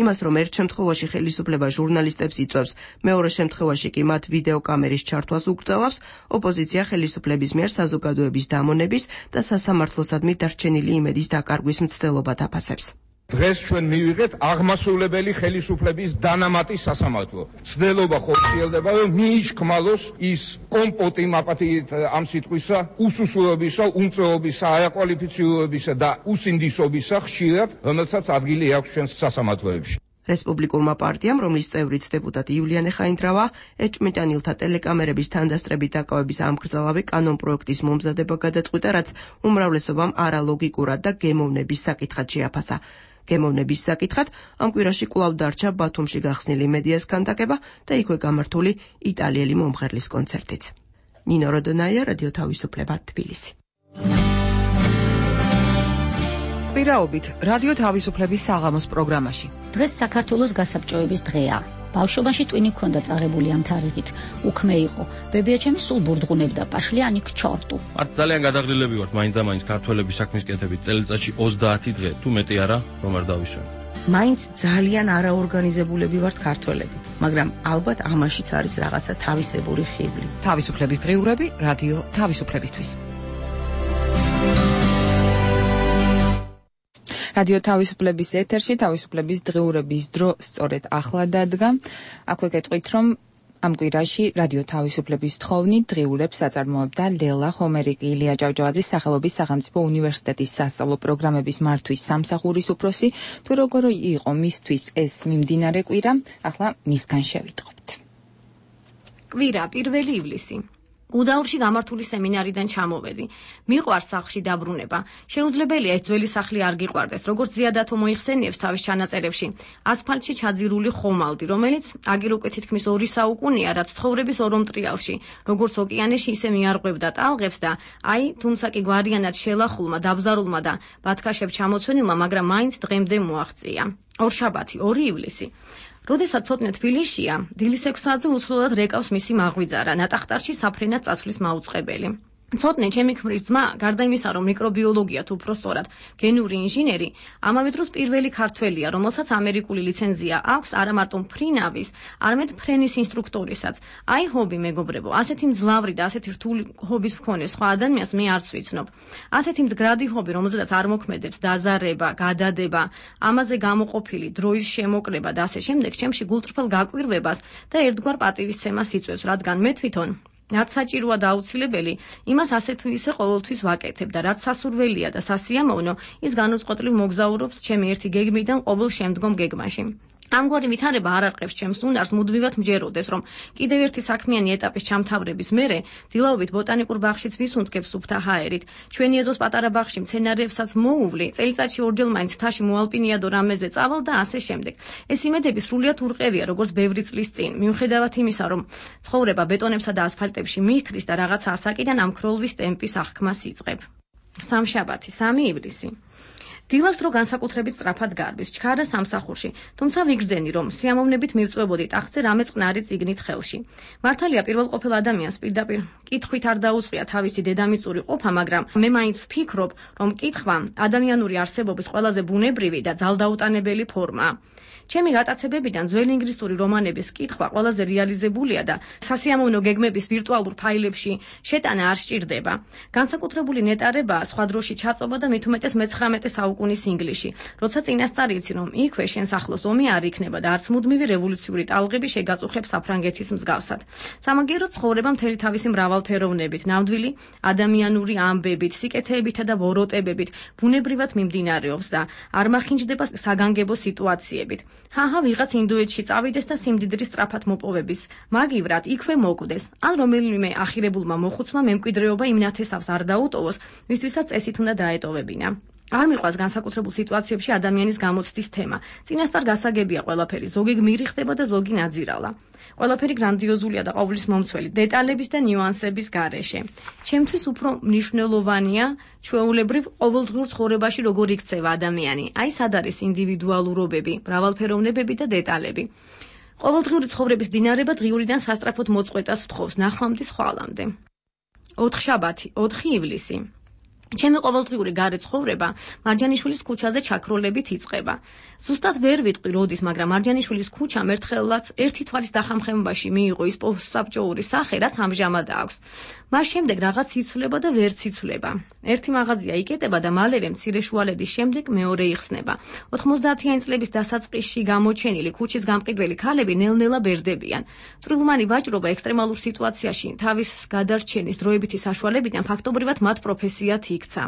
იმას, რომ ერთ შემთხვევაში ხელისუფლება ჟურნალისტებს იწვევს, მეორე შემთხვევაში კი მათ ვიდეო კამერის ჩართვას უკრძალავს, ოპოზიცია ხელისუფლების მიერ საზოგადოების დამონების და სასამართლოსადმი დარჩენილი იმედის დაკარგვის მცდელობა დაფასებს. დღეს ჩვენ მივიღეთ აღმასრულებელი ხელისუფლების დანამატი სასამართლო. ცდელობა ხორციელდება, რომ მიიჩქმალოს ის კომპოტი მაპათით ამ სიტყვისა, უსუსულებისა, უმწეობისა, არაკვალიფიციურობისა და უსინდისობისა ხშირად, რომელსაც ადგილი აქვს ჩვენს სასამართლოებში. რესპუბლიკურმა პარტიამ, რომლის წევრიც დეპუტატი იულიანე ხაინდრავა, ეჭვმიტანილთა ტელეკამერების თანდასწრებით დაკავების ამკრძალავი კანონპროექტის მომზადება გადაწყვიტა, რაც უმრავლესობამ არალოგიკურად და გემოვნების საკითხად შეაფასა. გემოვნების საკითხად ამ კვირაში კვლავ დარჩა ბათუმში გახსნილი მედიას ქანდაკება და იქვე გამართული იტალიელი მომღერლის კონცერტიც. ნინო როდონაია, რადიო თავისუფლება, თბილისი. კვირაობით რადიო თავისუფლების საღამოს პროგრამაში. დღეს საქართველოს გასაბჭოების დღეა. ბავშვობაში ტვინი ქონდა წაღებული ამ თარიღით. უქმე იყო. ბებიაჩემი სულ ბურდღუნებდა პაშლიანი ქჩორტუ. არც ძალიან გადაღლილები ვართ მაინც ქართველების საქმის კეთებით წელიწადში 30 დღე, თუ მეტი არა, რომ არ დავისვენ. მაინც ძალიან არაორგანიზებულები ვართ ქართველები, მაგრამ ალბათ ამაშიც არის რაღაცა თავისებური ხიბლი. თავისუფლების დღიურები რადიო თავისუფლებისთვის. რადიო თავისუფლების ეთერში თავისუფლების დღიურების დრო სწორედ ახლა დადგა. აქვე გეტყვით, რომ ამ კვირაში რადიო თავისუფლების თხოვნით დღიურებს აწარმოებდა ლელა ხომერიკი, ილია ჭავჭავაძის სახელობის სახელმწიფო უნივერსიტეტის სასწავლო პროგრამების მართვის სამსახურის უფროსი. თუ როგორ იყო მისთვის ეს მიმდინარე კვირა, ახლა მისგან შევიტყობთ. კვირა 1 ივლისი. გუდაურში გამართული სემინარიდან ჩამოვედი. მიყვარს სახლში დაბრუნება. შეუძლებელია ეს ძველი სახლი არ გიყვარდეს, როგორც ზიადათო მოიხსენიებს თავის ჩანაწერებში. ასფალტში ჩაძირული ხომალდი, რომელიც აგერ უკვე თითქმის 2 საუკუნეა, რაც ცხოვრების ორომტრიალში, როგორც ოკეანეში ისე მიარღვევდა ტალღებს და აი, თუმცა კი გვარიანად შელახულმა, დაბზარულმა და ბათქაშებ ჩამოცვენილმა, მაგრამ მაინც დღემდე მოაღწია. ორშაბათი 2 ივლისი. როდესაც ცოტნე თბილისშია, დილის 6 საათზე უცვლელად რეკავს მისი მაღვიძარა, ნატახტარში საფრენად წასვლის მაუწყებელი. ცოტნე ჩემი ქმრის ძმა, გარდა იმისა, რომ მიკრობიოლოგია თუ უფრო სწორად გენური ინჟინერი, ამავე დროს პირველი ქართველია, რომელსაც ამერიკული ლიცენზია აქვს არა მარტო მფრინავის, არამედ ფრენის ინსტრუქტორისაც. აი ჰობი მეგობრებო, ასეთი მძლავრი და ასეთი რთული ჰობის მქონე სხვა ადამიანს მე არც ვიცნობ. ასეთი მდგრადი ჰობი, რომელზედაც არ მოქმედებს დაზარება, გადადება, ამაზე გამოყოფილი დროის შემოკლება და ასე შემდეგ, ჩემში გულწრფელ გაკვირვებას და ერთგვარ პატივისცემას იწვევს, რადგან მე თვითონ რაც საჭიროა და აუცილებელი, იმას ასე თუ ისე ყოველთვის ვაკეთებ და რაც სასურველია და სასიამოვნო, ის განუწყვეტლივ მოგზაურობს ჩემი ერთი გეგმიდან ყოველ შემდგომ გეგმაში. ამგვარი ვითარება არ არყევს ჩემს უნარს მუდმივად მჯეროდეს, რომ კიდევ ერთი საქმიანი ეტაპის ჩამთავრების მერე დილაობით ბოტანიკურ ბაღშიც ვისუნთქებ სუფთა ჰაერით. ჩვენი ეზოს პატარა ბაღში მცენარეებსაც მოუვლი, წელიწადში ორჯერ მაინც მთაში მოალპინიადო რამეზე წავალ და ასე შემდეგ. ეს იმედები სრულიად ურყევია, როგორც ბევრი წლის წინ. მიუხედავად იმისა, რომ ცხოვრება ბეტონებსა და ასფალტებში მიჰქრის და რაღაცა ასაკიდან ამ ქროლვის ტემპის აღქმას იწყებ. სამშაბათი, 3 ივლისი. დილას დრო განსაკუთრებით სწრაფად გარბის, ჩქარა სამსახურში, თუმცა ვიგრძენი, რომ სიამოვნებით მივწვებოდი ტახტზე რამე წყნარი წიგნით ხელში. მართალია პირველყოფილ ადამიანს პირდაპირ კითხვით არ დაუწყია თავისი დედამიწური ყოფა, მაგრამ მე მაინც ვფიქრობ, რომ კითხვა ადამიანური არსებობის ყველაზე ბუნებრივი და ძალდაუტანებელი ფორმაა. ჩემი გატაცებებიდან ძველი ინგლისური რომანების კითხვა ყველაზე რეალიზებულია და სასიამოვნო გეგმების ვირტუალურ ფაილებში შეტანა არ სჭირდება. განსაკუთრებული ნეტარებაა სხვა დროში ჩაწობა და მით უმეტეს მე-19 საუკუნის ინგლისში, როცა წინასწარ იცი, რომ იქვე შენს ახლოს ომი არ იქნება და არც მუდმივი რევოლუციური ტალღები შეგაწუხებს საფრანგეთის მსგავსად. სამაგიერო ცხოვრება მთელი თავისი მრავალფეროვნებით, ნამდვილი ადამიანური ამბებით, სიკეთეებითა და ვოროტებებით ბუნებრივად მიმდინარეობს და არ მახინჯდება საგანგებო სიტუაციებით. ჰაჰა, ვიღაც ინდოეთში წავიდეს და სიმდიდრის სწრაფად მოპოვების მაგივრად იქვე მოკვდეს, ან რომელიმე ახირებულმა მოხუცმა მემკვიდრეობა იმ ნათესავს არ დაუტოვოს, ვისთვისაც წესით უნდა დაეტოვებინა. არ მიყვას განსაკუთრებულ სიტუაციებში ადამიანის გამოცდის თემა. წინასწარ გასაგებია ყველაფერი, ზოგი გმირი ხდება და ზოგი ნაძირალა. ყველაფერი გრანდიოზულია და ყოვლის მომცველი დეტალების და ნიუანსების გარეშე. ჩემთვის უფრო მნიშვნელოვანია ჩვეულებრივ ყოველდღიურ ცხოვრებაში როგორ იქცევა ადამიანი. აი სად არის ინდივიდუალურობები, მრავალფეროვნებები და დეტალები. ყოველდღიური ცხოვრების დინარება დღიურიდან სასწრაფოდ მოწყვეტას ვთხოვს ნახვამდის ხვალამდე. 4 შაბათი, 4 ივლისი. ჩემი ყოველდღიური გარე ცხოვრება მარჯანიშვილის ქუჩაზე ჩაქროლებით იწყება. ზუსტად ვერ ვიტყვი როდის, მაგრამ მარჯანიშვილის ქუჩამ ერთხელაც ერთი თვალის დახამხმებაში მიიღო ის პოსტსაბჭოური სახე, რაც ამჟამად აქვს. მას შემდეგ რაღაც იცვლება და ვერც იცვლება. ერთი მაღაზია იკეტება და მალევე მცირე შუალედის შემდეგ მეორე იხსნება. 90-იანი წლების დასაწყისში გამოჩენილი ქუჩის გამყიდველი ქალები ნელ-ნელა ბერდებიან. წვრილმანი ვაჭრობა ექსტრემალურ სიტუაციაში თავის გადარჩენის დროებითი საშუალებიდან ფაქტობრივად მათ პროფესიად იქცა.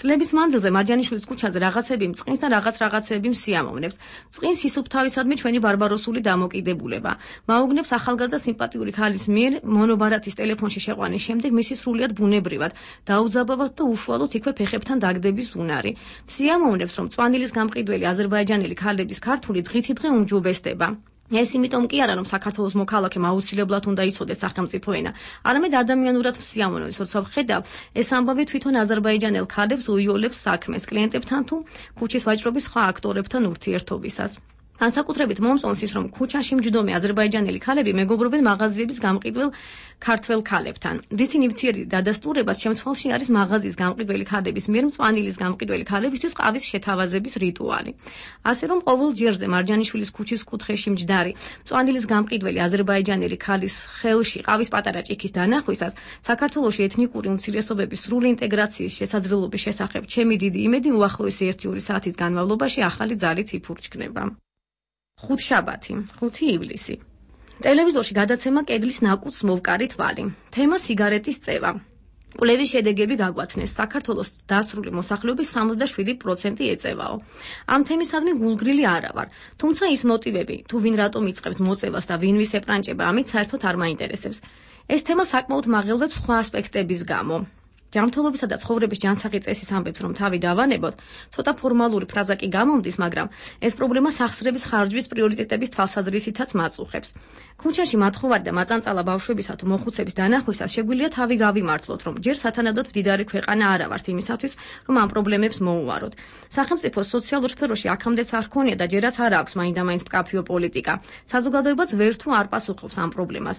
წლების მანძილზე მარჯანიშვილის ქუჩაზე რაღაცები მწყინს და რაღაცები მსიამოვნებს. მწყინს ისუფთავისადმი ჩვენი ბარბაროსული დამოკიდებულება. მაუგნებს ახალგაზრდა სიმპათიური ქალის მიერ მონობარათის ტელეფონში შეყვანის შემდეგ მისი სრულიად ბუნებრივად, დაუძაბავად და უშუალოდ იქვე ფეხებთან დაგდების უნარი. მსიამოვნებს, რომ წვანილის გამყიდველი აზერბაიჯანელი ქალების ქართული დღითი დღე უმჯობესდება. ეს იმიტომ კი არა, რომ საქართველოს მოქალაქემ აუცილებლად უნდა იცოდეს სახელმწიფო ენა, არამედ ადამიანურად მსიამოვნებს, როცა ვხედავ, ეს ამბავი თვითონ აზერბაიჯანელ ქალებს უიოლებს საქმეს კლიენტებთან თუ ქუჩის ვაჭრობის სხვა აქტორებთან ურთიერთობისას. განსაკუთრებით მომწონს ის, რომ ქუჩაში მჯდომი აზერბაიჯანელი ქალები მეგობრობენ მაღაზიების გამყიდվել ქართველ ქალებთან. რის ნივთიერი დადასტურებას შემთხვევაში არის მაღაზიის გამყიდველი ქალების მიერ მწვანილის გამყიდველი ქალებისთვის ყავის შეთავაზების რიტუალი. ასე რომ ყოველ ჯერზე მარჯანიშვილის ქუჩის კუთხეში მჯდარი მწვანილის გამყიდველი აზერბაიჯანელი ქალის ხელში ყავის პატარა ჭიქის დანახვისას საქართველოში ეთნიკური უმცირესობების სრული ინტეგრაციის შესაძლებლობის შესახებ ჩემი დიდი იმედი უახლოესი 1-2 საათის განმავლობაში ახალი ძალით იფურჩქნება. 5 შაბათი, 5 ივლისი. ტელევიზორში გადაცემა კედლის ნაკუთს მოვკარი თვალი. თემა სიგარეტის წევა. კვლევის შედეგები გაგვაცნეს. საქართველოს დასრული მოსახლეობის 67% ეწევაო. ამ თემისადმი გულგრილი არა ვარ. თუმცა ის მოტივები, თუ ვინ რატომ იწყებს მოწევას და ვინ ვის ეპრანჭება, ამით საერთოდ არ მაინტერესებს. ეს თემა საკმაოდ მაღელვებს სხვა ასპექტების გამო. ჯანმრთელობისა და ცხოვრების ჯანსაღი წესის ამბებს რომ თავი დავანებოთ, ცოტა ფორმალური ფრაზა კი გამომდის, მაგრამ ეს პრობლემა სახსრების ხარჯვის პრიორიტეტების თვალსაზრისითაც მაწუხებს. ქუჩაში მათხოვარი და მაწანწალა ბავშვებისა თუ მოხუცების დანახვისას შეგვიძლია თავი გავიმართლოთ, რომ ჯერ სათანადოდ მდიდარი ქვეყანა არა ვართ იმისათვის, რომ ამ პრობლემებს მოუვაროთ. სახელმწიფოს სოციალურ სფეროში აქამდეც არ ჰქონია და ჯერაც არ აქვს მაინდა-მაინც მკაფიო პოლიტიკა. საზოგადოებაც ვერ თუ არ პასუხობს ამ პრობლემას.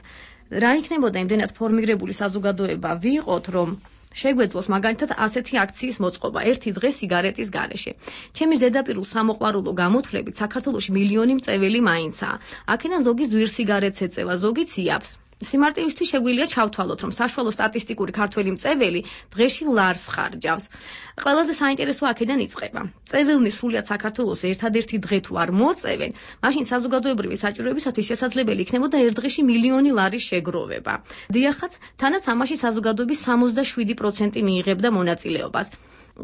რა იქნებოდა იმდენად ფორმირებული საზოგადოება ვიყოთ, რომ შეგვეძლოს მაგალითად ასეთი აქციის მოწყობა ერთი დღე სიგარეტის გარეშე. ჩემი ზედაპირულ სამოყვარულო გამოთვლებით საქართველოში მილიონი მწეველი მაინცაა. აქედან ზოგი ზვირ სიგარეტს ეწევა, ზოგი ციაბს. სიმარტივისთვის შეგვიძლია ჩავთვალოთ, რომ საშუალო სტატისტიკური ქართველი მწეველი დღეში ლარს ხარჯავს. ყველაზე საინტერესო აქედან იწყება. მწეველნი სრულიად საქართველოს ერთადერთი დღე თუ არ მოწევენ, მაშინ საზოგადოებრივი საჭიროებისათვის შესაძლებელი იქნებოდა ერთ დღეში მილიონი ლარის შეგროვება. დიახაც, თანაც ამაში საზოგადოების 67% მიიღებდა მონაწილეობას.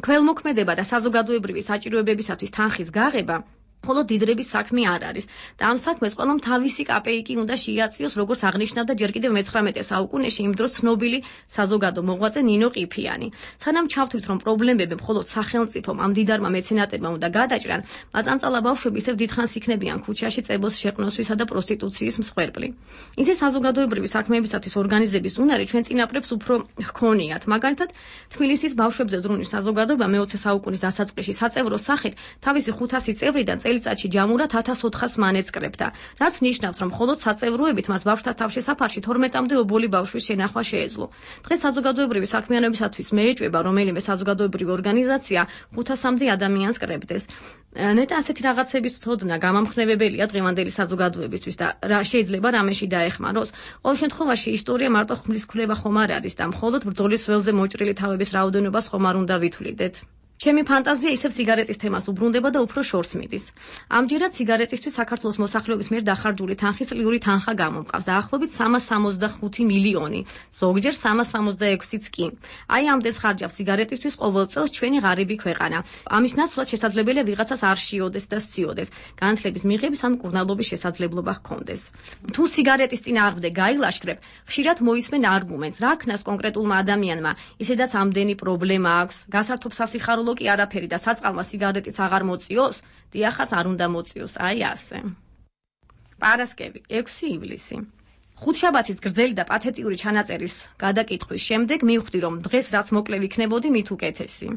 ქველმოქმედება და საზოგადოებრივი საჭიროებებისათვის თანხის გაღება ხოლო დიდრების საქმე არ არის და ამ საქმეს ყველამ თავისი კაპეიკი უნდა შეიაწიოს, როგორც აღნიშნავდა ჯერ კიდევ მე-19 საუკუნეში იმ დროს ცნობილი საზოგადო მოღვაწე ნინო ყიფიანი. სანამ ჩავთვლით, რომ პრობლემები მხოლოდ სახელმწიფომ ამ დიდარმა მეცენატებმა უნდა გადაჭრან, მაწანწალა ბავშვები ისევ დიდხანს იქნებიან ქუჩაში წებოს შეყნოსვისა და პროსტიტუციის მსხვერპლი. ისე საზოგადოებრივი საქმეებისათვის ორგანიზების უნარი ჩვენ წინაპრებს უფრო ჰქონიათ. მაგალითად, თბილისის ბავშვებზე ზრუნვის საზოგადოება მე-20 საუკუნის დასაწყისში საწევრო სახით თავისი 500 წევრიდან წელიწადში ჯამურად 1400 მანეწკრებდა, რაც ნიშნავს, რომ მხოლოდ საწევროებით მას ბავშვთა თავშესაფარში 12-მდე ობოლი ბავშვის შენახვა შეეძლო. დღეს საზოგადოებრივი საქმიანობისათვის მეეჭვება რომელიმე საზოგადოებრივი ორგანიზაცია 500-მდე ადამიანს კრებდეს. ნეტა ასეთი რაღაცების ცოდნა გამამხნევებელია დღევანდელი საზოგადოებისთვის და რა შეიძლება რამეში დაეხმაროს. ყოველ შემთხვევაში ისტორია მარტო ხმლის ქვლება ხომ არ არის და მხოლოდ ბრძოლის ველზე მოჭრილი თავების რაოდენობას ხომ არ უნდა ვითვლიდეთ. ჩემი ფანტაზია ისევ სიგარეტის თემას უბრუნდება და უფრო შორს მიდის. ამჯერად სიგარეტისთვის საქართველოს მოსახლეობის მიერ დახარჯული თანხის წლიური თანხა გამომყავს დაახლოებით 365 მილიონი, ზოგჯერ 366-იც კი. აი ამდენს ხარჯავს სიგარეტისთვის ყოველ წელს ჩვენი ღარიბი ქვეყანა. ამის ნაცვლად შესაძლებელია ვიღაცას არ შეიოდეს და სციოდეს, განათლების მიღების ან მკურნალობის შესაძლებლობა ჰქონდეს. თუ სიგარეტის წინააღმდეგ გაილაშქრებ, ხშირად მოისმენ არგუმენტს, რა ქნას კონკრეტულმა ადამიანმა, ისედაც ამდენი პრობლემა აქვს, გასართობ სასიხარულო კი არაფერი და საწყალმა სიგარეტიც აღარ მოწიოს, დიახაც არ უნდა მოწიოს, აი ასე. პარასკევი, 6 ივლისი. ხუთშაბათის გრძელი და პათეტიური ჩანაწერის გადაკითხვის შემდეგ მივხვდი, რომ დღეს რაც მოკლე ვიქნებოდი, მით უკეთესი.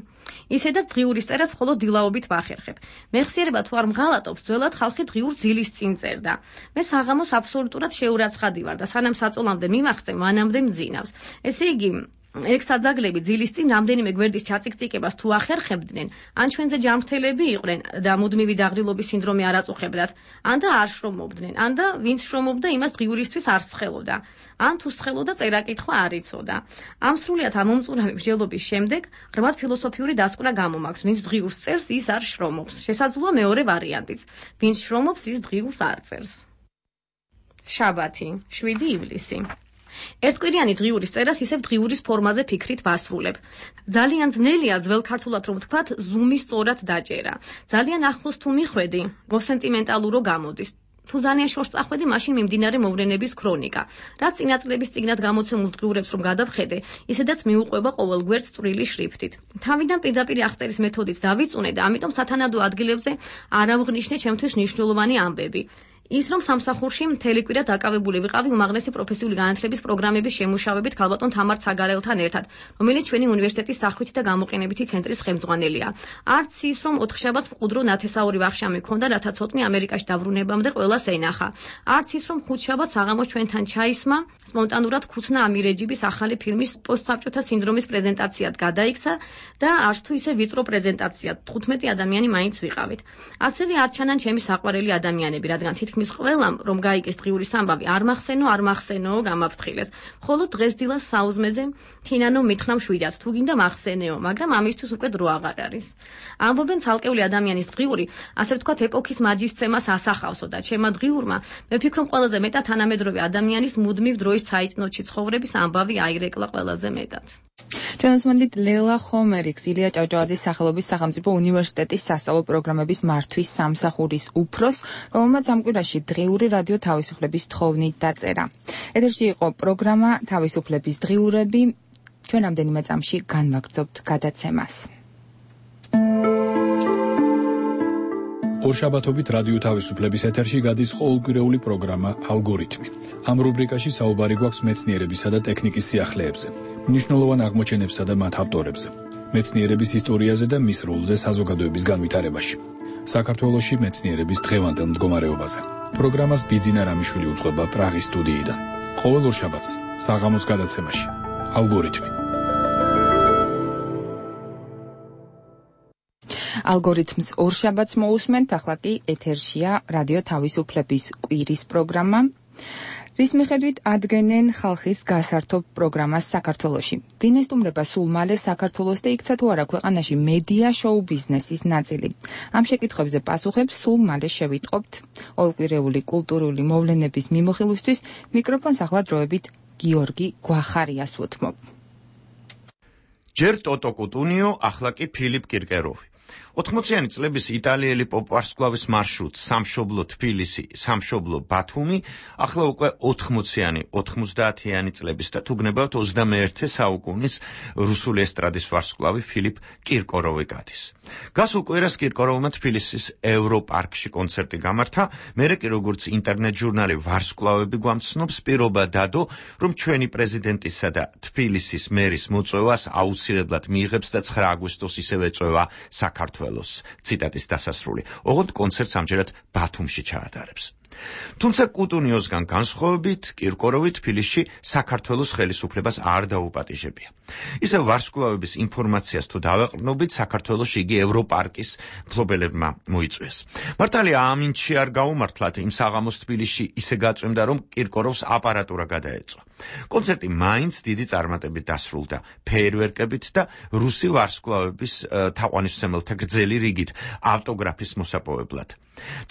ისედაც დღიურის წერას მხოლოდ დილაობით ვახერხებ. მეხსიერება თუ არ მღალატობს, ძველად ხალხი დღიურ ძილის წინ წერდა. მე საღამოს აბსოლუტურად შეურაცხადი ვარ და სანამ საწოლამდე მიმახცე, მანამდე მძინავს. ესე იგი ექსაძაგლები ძილის წინ რამდენიმე გვერდის ჩაწიკწიკებას თუ ახერხებდნენ, ან ჩვენზე ჯანმრთელები იყვნენ და მუდმივი დაღრილობის სინდრომი არ აწუხებდათ, ან და არ შრომობდნენ, ან და ვინც შრომობდა, იმას დღიურისთვის არ სხელოდა, ან თუ სხელოდა, წერა-კითხვა არ იცოდა. ამ სრულიად ამომწურავი მსჯელობის შემდეგ ღრმად ფილოსოფიური დასკვნა გამომაქვს, ვინც დღიურს წერს, ის არ შრომობს. შესაძლოა მეორე ვარიანტიც, ვინც შრომობს, ის დღიურს არ წერს. შაბათი, 7 ივლისი. ერთკვირიანი დღიურის წერას ისევ დღიურის ფორმაზე ფიქრით ვასრულებ. ძალიან ძნელია ძველ ქართულად რომ ვთქვათ, ზუმი სწორად დაჭერა. ძალიან ახლოს თუ მიხვედი, მოსენტიმენტალურო გამოდის. თუ ძალიან შორს წახვედი, მაშინ მიმდინარე მოვლენების ქრონიკა. რაც წინაწლების წიგნად გამოცემულ დღიურებს რომ გადავხედე, ისედაც მიუყვება ყოველ გვერდს წვრილი შრიფტით. თავიდან პირდაპირ აღწერის მეთოდით დავიწუნე და ამიტომ სათანადო ადგილებზე არ ავღნიშნე ჩემთვის მნიშვნელოვანი ამბები. ის რომ სამსახურში მთელი კვირა დაკავებული ვიყავი უმაღლესი პროფესიული განათლების პროგრამების შემუშავებით ქალბატონ თამარ ცაგარელთან ერთად, რომელიც ჩვენი უნივერსიტეტის სახვითი და გამოყენებითი ცენტრის ხელმძღვანელია. არც ის რომ ოთხშაბათს მყუდრო ნათესაური ვახშამი ქონდა, რათა ცოტნე ამერიკაში დაბრუნებამდე ყველას ენახა. არც ის რომ ხუთშაბათს საღამოს ჩვენთან ჩაისმა, სპონტანურად ქუცნა ამირეჯიბის ახალი ფილმის პოსტსაბჭოთა სინდრომის პრეზენტაციად გადაიქცა და არც თუ ისე ვიწრო პრეზენტაციად 15 ადამიანი მაინც ვიყავით. ასევე არ ჩანან ჩემი საყვარელი ადამიანები, რადგან თითქმის ყველამ რომ გაიგეს დღიურის ამბავი არ მახსენო გამაფრთხილეს. ხოლო დღეს დილას საუზმეზე თინანო მითხრა მშვიდად, თუ გინდა მახსენეო, მაგრამ ამისთვის უკვე დრო აღარ არის. ამბობენ ცალკეული ადამიანის დღიური, ასე ვთქვათ, ეპოქის მაჯისცემას ასახავსო და ჩემმა დღიურმა მე ვფიქრობ ყველაზე მეტად თანამედროვე ადამიანის მუდმივ დროის საიტნოტში ცხოვრების ამბავი აირეკლა ყველაზე მეტად. ჩვენს მანდით ლელა ხომერიქს, ილია ჭავჭავაძის სახელობის სახელმწიფო უნივერსიტეტის სასწავლო პროგრამების მართვის სამსახურის უფროს, რომელმაც ამ კვირაში დღიური რადიო თავისუფლების თხოვნით დაწერა. ეთერში იყო პროგრამა თავისუფლების დღიურები. ჩვენ ამდენიმე წამში განვაგრძობთ გადაცემას. ორშაბათობით რადიო თავისუფლების ეთერში გადის ყოველკვირეული პროგრამა ალგორითმი. ამ რუბრიკაში საუბარი გვაქვს მეცნიერებისა და ტექნიკის სიახლეებზე, მნიშვნელოვან აღმოჩენებსა და მათ ავტორებზე, მეცნიერების ისტორიაზე და მის როლზე საზოგადოების განვითარებაში. საქართველოში მეცნიერების დღევანდელ მდგომარეობაზე. პროგრამას ბიძინა რამიშვილი უძღვება პრაღის სტუდიიდან. ყოველ ორშაბათს საღამოს გადაცემაში ალგორითმი. ალგორითმს ორშაბათს მოусმენთ, ახლა კი ეთერშია რადიო თავისუფლების კვირის პროგრამა. რის მიხედვით ადგენენ ხალხის გასართობ პროგრამას საქართველოში. ვინ ესტუმრება სულ მალე საქართველოს და იქცა თუ არა ქვეყანაში მედია შოუ ბიზნესის ნაწილი. ამ შეკითხვებზე პასუხებს სულ მალე შევიტყობთ. ოლკვირეული კულტურული მოვლენების მიმოხილვისთვის მიკროფონს ახლა დროებით გიორგი გვახარიას ვუთმობ. ჯერ ტოტო კუტუნიო, ახლა კი ფილიპ კირკეროვი. 80-იანი წლების იტალიელი პოპ-ვარსკვლავის მარშრუტ სამშობლო თბილისი, სამშობლო ბათუმი, ახლა უკვე 80-იანი, 90-იანი წლების და თუ გნებავთ 21 საუკუნის რუსული ესტრადის ვარსკვლავი ფილიპ კირკოროვი გადის. გასულ კვირას კირკოროვმა თბილისის ევროპარკში კონცერტი გამართა, მერე კი როგორც ინტერნეტ ჟურნალი ვარსკვლავები გვამცნობს, პირობა დადო, რომ ჩვენი პრეზიდენტისა და თბილისის მერის მოწვევას აუცილებლად მიიღებს და 9 აგვისტოს ისევ ეწვევა საქართველოს. ციტატის დასასრული. ოღონდ კონცერტს ამჯერად ბათუმში ჩაატარებს. თუმცა კუტუნიოსგან განსხვავებით, კირკოროვი თბილისში საქართველოს ხელისუფლებას არ დაუპატიჟებია. ისე ვარსკვლავების ინფორმაციას თუ დავეყრდნობით, საქართველოში იგი ევროპარკის მფლობელებმა მოიწვიეს. მართალია ამინჩი არ გაუმართლათ, იმ საღამოს თბილისში ისე გაწვიმდა, რომ კირკოროვს აპარატურა გადაეწვა. კონცერტი მაინც დიდი წარმატებით დასრულდა, ფეიერვერკებით და რუსი ვარსკვლავების თაყვანისმცემელთა გრძელი რიგით ავტოგრაფის მოსაპოვებლად.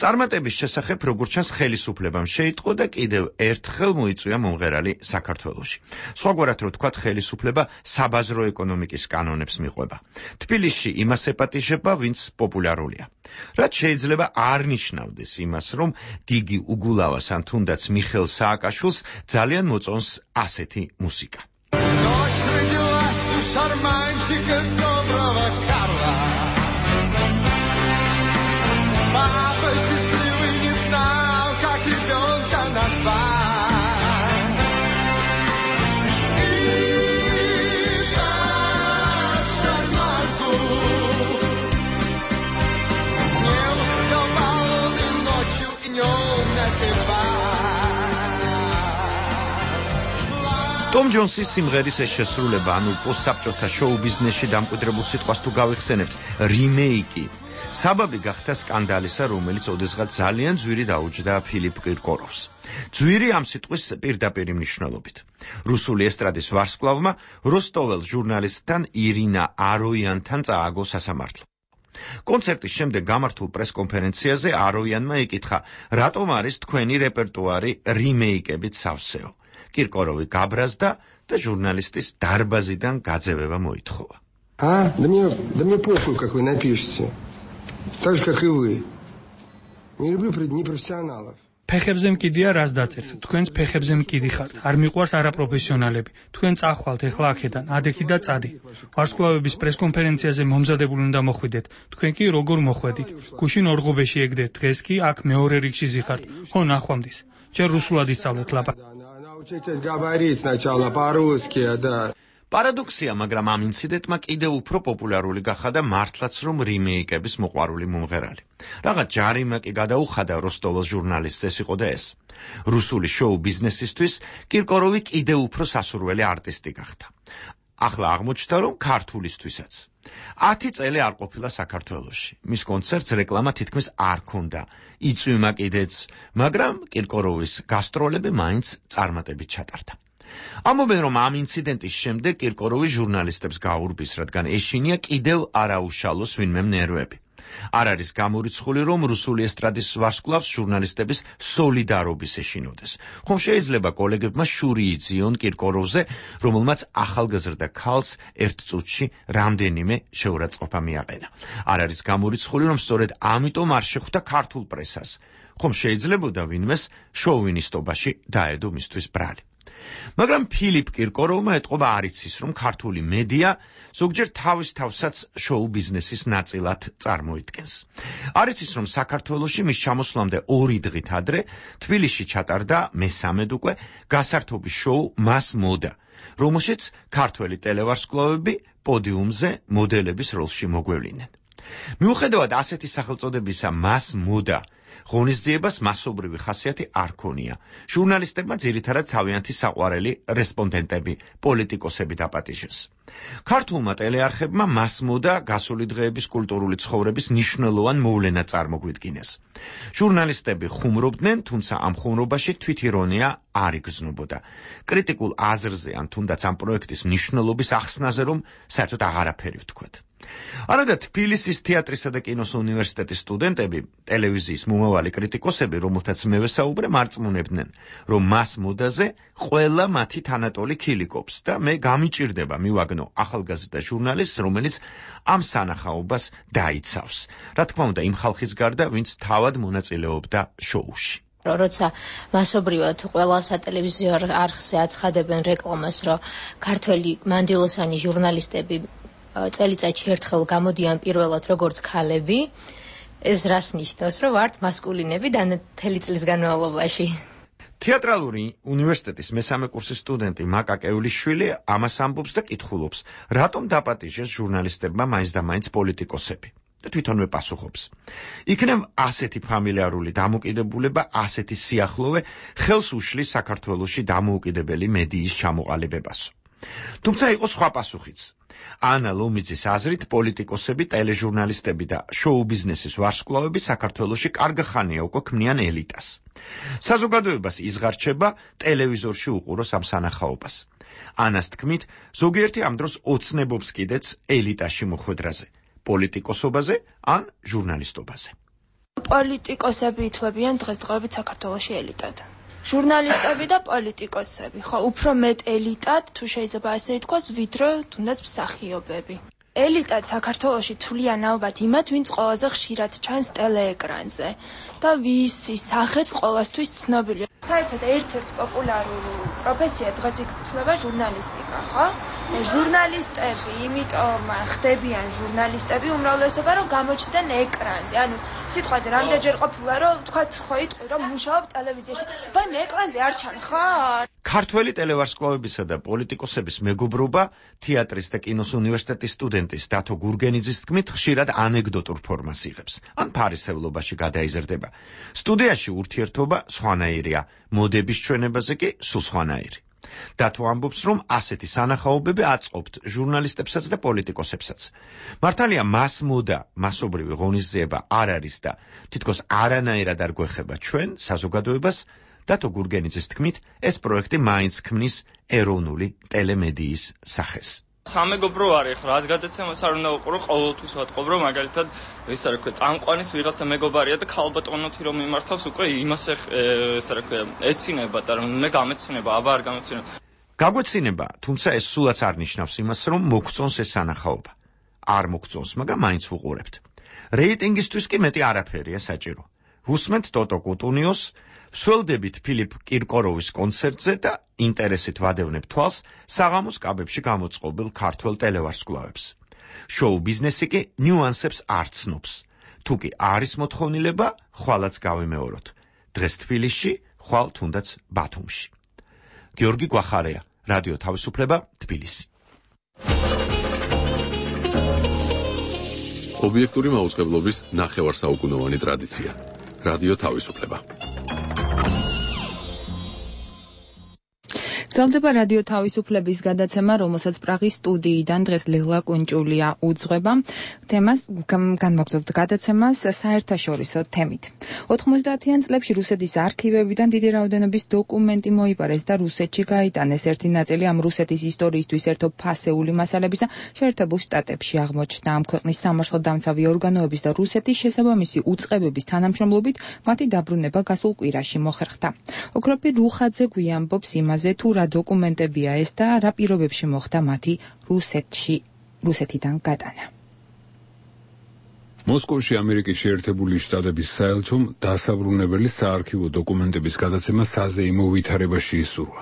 წარმატების შესახებ როგორც ჩანს ხელისუფლებამ შეიტყო და კიდევ ერთხელ მოიწვია მომღერალი საქართველოში. სხვაგვარად რო თქვათ, ხელისუფლება საბაზრო ეკონომიკის კანონებს მიყვება. თბილისში იმას ეპატიჟება, ვინც პოპულარულია. რაც შეიძლება არ ნიშნავდეს იმას, რომ გიგი უგულავას ან თუნდაც მიხეილ სააკაშვილს ძალიან მოწონს ასეთი მუსიკა. ტომ ჯონსის სიმღერის ეს შესრულება, ანუ პოსტსაბჭოთა შოუ ბიზნესში დამკვიდრებულ სიტყვას თუ გავიხსენებთ, რიმეიკი, საბაბი გახდა სკანდალისა, რომელიც ოდესღაც ძალიან ძვირი დაუჯდა ფილიპ კირკოროვს. ძვირი ამ სიტყვის პირდაპირი მნიშვნელობით. რუსული ესტრადის ვარსკვლავმა როსტოველს ჟურნალისტთან ირინა აროიანთან წააგო სასამართლო. კონცერტის შემდეგ გამართულ პრესკონფერენციაზე აროიანმა იკითხა, რატომ არის თქვენი რეპერტუარი რიმეიკებით სავსეო. კირკოროვი გაბრაზდა და ჟურნალისტის დარბაზიდან გაძევება მოითხოვა. Да мне похуй, как вы напишете. Так же, как и вы. Не люблю непрофессионалов. ფეხებზე მკიდია რას დაწერთ? თქვენს ფეხებზე მკიდი ხართ. არ მიყვარს არაპროფესიონალები. თქვენ წახვალთ ეხლა აქედან, ადექი და წადი. ვარსკვლავების პრესკონფერენციაზე მომზადებული უნდა მოხვიდეთ. თქვენ კი როგორ მოხვედით? გუშინ ორღობეში ეგდეთ, დღეს კი აქ მეორე რიგში ზიხართ. ხო, ნახვამდის. ჯერ რუსულად ისწავლეთ ლაპარაკი. Учитесь говорить сначала по-русски, да. Парадоксია, მაგრამ ამ ინციდენტმა კიდევ უფრო პოპულარული გახადა მართლაც რომ რიმეიკების მოყვარული მომღერალი. Რაღაც ჯარიმა კი გადაუხადა როსტოველს ჟურნალისტს, ეს იყო და ეს. რუსული შოუ ბიზნესისთვის კირკოროვი კიდევ უფრო სასურველი არტისტი გახდა. ახლა აღმოჩნდა, რომ ქართულისთვისაც. 10 წელი არ ყოფილა საქართველოში. მის კონცერტს რეკლამა თითქმის არ ჰქონდა. იწვიმა კიდეც, მაგრამ კირკოროვის გასტროლები მაინც წარმატებით ჩატარდა. ამობენ, რომ ამ ინციდენტის შემდეგ კირკოროვი ჟურნალისტებს გაურბის, რადგან ეშინია კიდევ არაუშალოს ვინმე ნერვები. არ არის გამორიცხული, რომ რუსული ესტრადის ვარსკვლავს ჟურნალისტების სოლიდარობის ეშინოდეს. ხომ შეიძლება კოლეგებმა შური იძიონ კირკოროვზე, რომელმაც ახალგაზრდა ქალს ერთ წუთში რამდენიმე შეურაცხყოფა მიაყენა. არ არის გამორიცხული, რომ სწორედ ამიტომ არ შეხვდა ქართულ პრესას. ხომ შეიძლებოდა ვინმეს შოვინისტობაში დაედო მისთვის ბრალი. მაგრამ ფილიპ კირკოროვმა ეტყობა არ იცის, რომ ქართული მედია ზოგჯერ თავის თავსაც შოუ ბიზნესის ნაწილად წარმოიდგენს. არ იცის, რომ საქართველოში მის ჩამოსვლამდე 2 დღით ადრე თბილისში ჩატარდა მესამედ უკვე გასართობის შოუ მას მოდა, რომელშიც ქართველი ტელევარსკვლავები პოდიუმზე მოდელების როლში მოგვევლინენ. მიუხედავად ასეთი სახელწოდებისა მას მოდა ღონისძიებას მასობრივი ხასიათი არ ქონია. ჟურნალისტებმა ძირითადად თავიანთი საყვარელი რესპონდენტები, პოლიტიკოსები დაპატიჟეს. ქართულმა ტელეარხებმა მასმოდა გასული დღეების კულტურული ცხოვრების მნიშვნელოვან მოვლენად წარმოგვიდგინეს. ჟურნალისტები ხუმრობდნენ, თუმცა ამ ხუმრობაში თვითირონია არ იგრძნობოდა. კრიტიკულ აზრზე ან თუნდაც ამ პროექტის მნიშვნელობის ახსნაზე რომ საერთოდ აღარაფერი ვთქვათ. არადა თბილისის თეატრისა და კინოს უნივერსიტეტის სტუდენტები, ტელევიზიის მომავალი კრიტიკოსები, რომელთაც მე ვესაუბრე, მარწმუნებდნენ, რომ მას მოდაზე ყველა მათი თანატოლი ქილიკობს და მე გამიჭირდება მივაგნო ახალგაზრდა ჟურნალისტს, რომელიც ამ სანახაობას დაიცავს. რა თქმა უნდა, იმ ხალხის გარდა, ვინც თავად მონაწილეობდა შოუში. როცა მასობრივად ყველა სატელევიზიო არხზე აცხადებენ რეკლამას, რომ ქართველი მანდილოსანი ჟურნალისტები წელიწადში ერთხელ გამოდიან პირველად როგორც ქალები, ეს რას ნიშნავს, რომ ვართ მასკულინები მთელი წლის განმავლობაში. თეატრალური უნივერსიტეტის მესამე კურსის სტუდენტი მაკა კეულიშვილი ამას ამბობს და კითხულობს, რატომ დაპატიჟეს ჟურნალისტებმა მაინც და მაინც პოლიტიკოსები. და თვითონვე პასუხობს. იქნებ ასეთი ფამილიარული დამოკიდებულება, ასეთი სიახლოვე ხელს უშლის საქართველოში დამოუკიდებელი მედიის ჩამოყალიბებასო. თუმცა იყო სხვა პასუხიც. ანა ლომიძის აზრით, პოლიტიკოსები, ტელეჟურნალისტები და შოუ-ბიზნესის ვარსკვლავები საქართველოში კარგი ხანია უკვე ქმნიან ელიტას. საზოგადოებას იზღარჩება ტელევიზორში უყუროს ამ სანახაობას. ანას თქმით, ზოგიერთი ამ დროს ოცნებობს კიდეც ელიტაში მოხვედრაზე, პოლიტიკოსობაზე ან ჟურნალისტობაზე. პოლიტიკოსები ითვლებიან დღესდღეობით საქართველოში ელიტად. ჟურნალისტები და პოლიტიკოსები, ხო, უფრო მეტ ელიტად, თუ შეიძლება ასე ითქვას, ვიდრე თუნდაც მსახიობები. ელიტად საქართველოში თვლიან ალბათ იმათ, ვინც ყველაზე ხშირად ჩანს ტელეეკრანზე და ვისი სახეც ყოველთვის ცნობილია. საერთოდ ერთ-ერთი პოპულარული პროფესია დღეს ითვლება ჟურნალისტიკა, ხო? ჟურნალისტები, იმიტომ ხდებიან ჟურნალისტები უმრავლესობა, რომ გამოჩნდნენ ეკრანზე. ანუ სიტყვაზე რამდენჯერ ყოფილა, რომ თქვათ ხო იტყვი, რომ მუშაობ ტელევიზიაში. ვაიმე ეკრანზე არ ჩანხარ? ქართველი ტელევარსკვლავებისა და პოლიტიკოსების მეგობრობა თეატრის და კინოს უნივერსიტეტის სტუდენტის დათო გურგენიძის თქმით ხშირად ანეკდოტურ ფორმას იღებს, ან ფარისევლობაში გადაიზრდება. სტუდიაში ურთიერთობა სხვანაირია, მოდების ჩვენებაზე კი სულ სხვანაირი. დათო ამბობს, რომ ასეთი სანახაობები აწყობთ ჟურნალისტებსაც და პოლიტიკოსებსაც. მართალია მას მოდა მასობრივი ღონისძიება არ არის და თითქოს არანაირად არ გვეხება ჩვენ საზოგადოებას. დათო გურგენიძის თქმით, ეს პროექტი მაინც ქმნის ეროვნული ტელემედიის სახეს. სამეგობრო არის, ხო, რაც გადაცემას არ უნდა უყურო, ყოველთვის ვატყობ, რომ მაგალითად, ისა რა ქვია, წამყვანის ვიღაცა მეგობარია და ქალბატონოთი რომ მიმართავს, უკვე იმას ისა რა ქვია, ეცინება და რომ მე გამეცინება, აბა არ გამეცინება. გაგვეცინება, თუმცა ეს სულაც არ ნიშნავს იმას, რომ მოგწონს ეს სანახაობა. არ მოგწონს, მაგრამ მაინც ვუყურებთ. რეიტინგისთვის კი მეტი არაფერია საჭირო. ვუსმენთ ტოტო კუტუნიოს, ვსველდებით ფილიპ კირკოროვის კონცერტზე და ინტერესით ვადევნებ თვალს საღამოს კაბებში გამოწყობილ ქართველ ტელევარსკვლავებს. შოუ ბიზნესი კი ნიუანსებს არ ცნობს. თუ კი არის მოთხოვნილება, ხვალაც გავიმეოროთ. დღეს თბილისში, ხვალ თუნდაც ბათუმში. გიორგი გვახარია, რადიო თავისუფლება, თბილისი. ობიექტური მაუწყებლობის ნახევარსაუკუნოვანი ტრადიცია. რადიო თავისუფლება. გრძელდება რადიო თავისუფლების გადაცემა, რომელსაც პრაღის სტუდიიდან დღეს ლელა კუნჭულია უძღვება. თემას განვაგრძობთ გადაცემას საერთაშორისო თემით. 90-იან წლებში რუსეთის არქივებიდან დიდი რაოდენობის დოკუმენტი მოიპარეს და რუსეთში გაიტანეს. ერთი ნაწილი ამ რუსეთის ისტორიისთვის ერთო ფასეული მასალებისა შეერთებულ შტატებში აღმოჩნდა. ამ ქვეყნის სამართალდამცავი ორგანოების და რუსეთის შესაბამისი უწყებების თანამშრომლობით მათი დაბრუნება გასულ კვირაში მოხერხდა. ოქროპი რუხაძე გვიამბობს იმაზე, თუ რა დოკუმენტებია ეს და რა პირობებში მოხდა მათი რუსეთიდან გადანა. მოსკოვში ამერიკის შეერთებული შტატების საელჩომ დასაბრუნებელი საარქივო დოკუმენტების გადაცემა საზეიმო ვითარებაში ისურვა.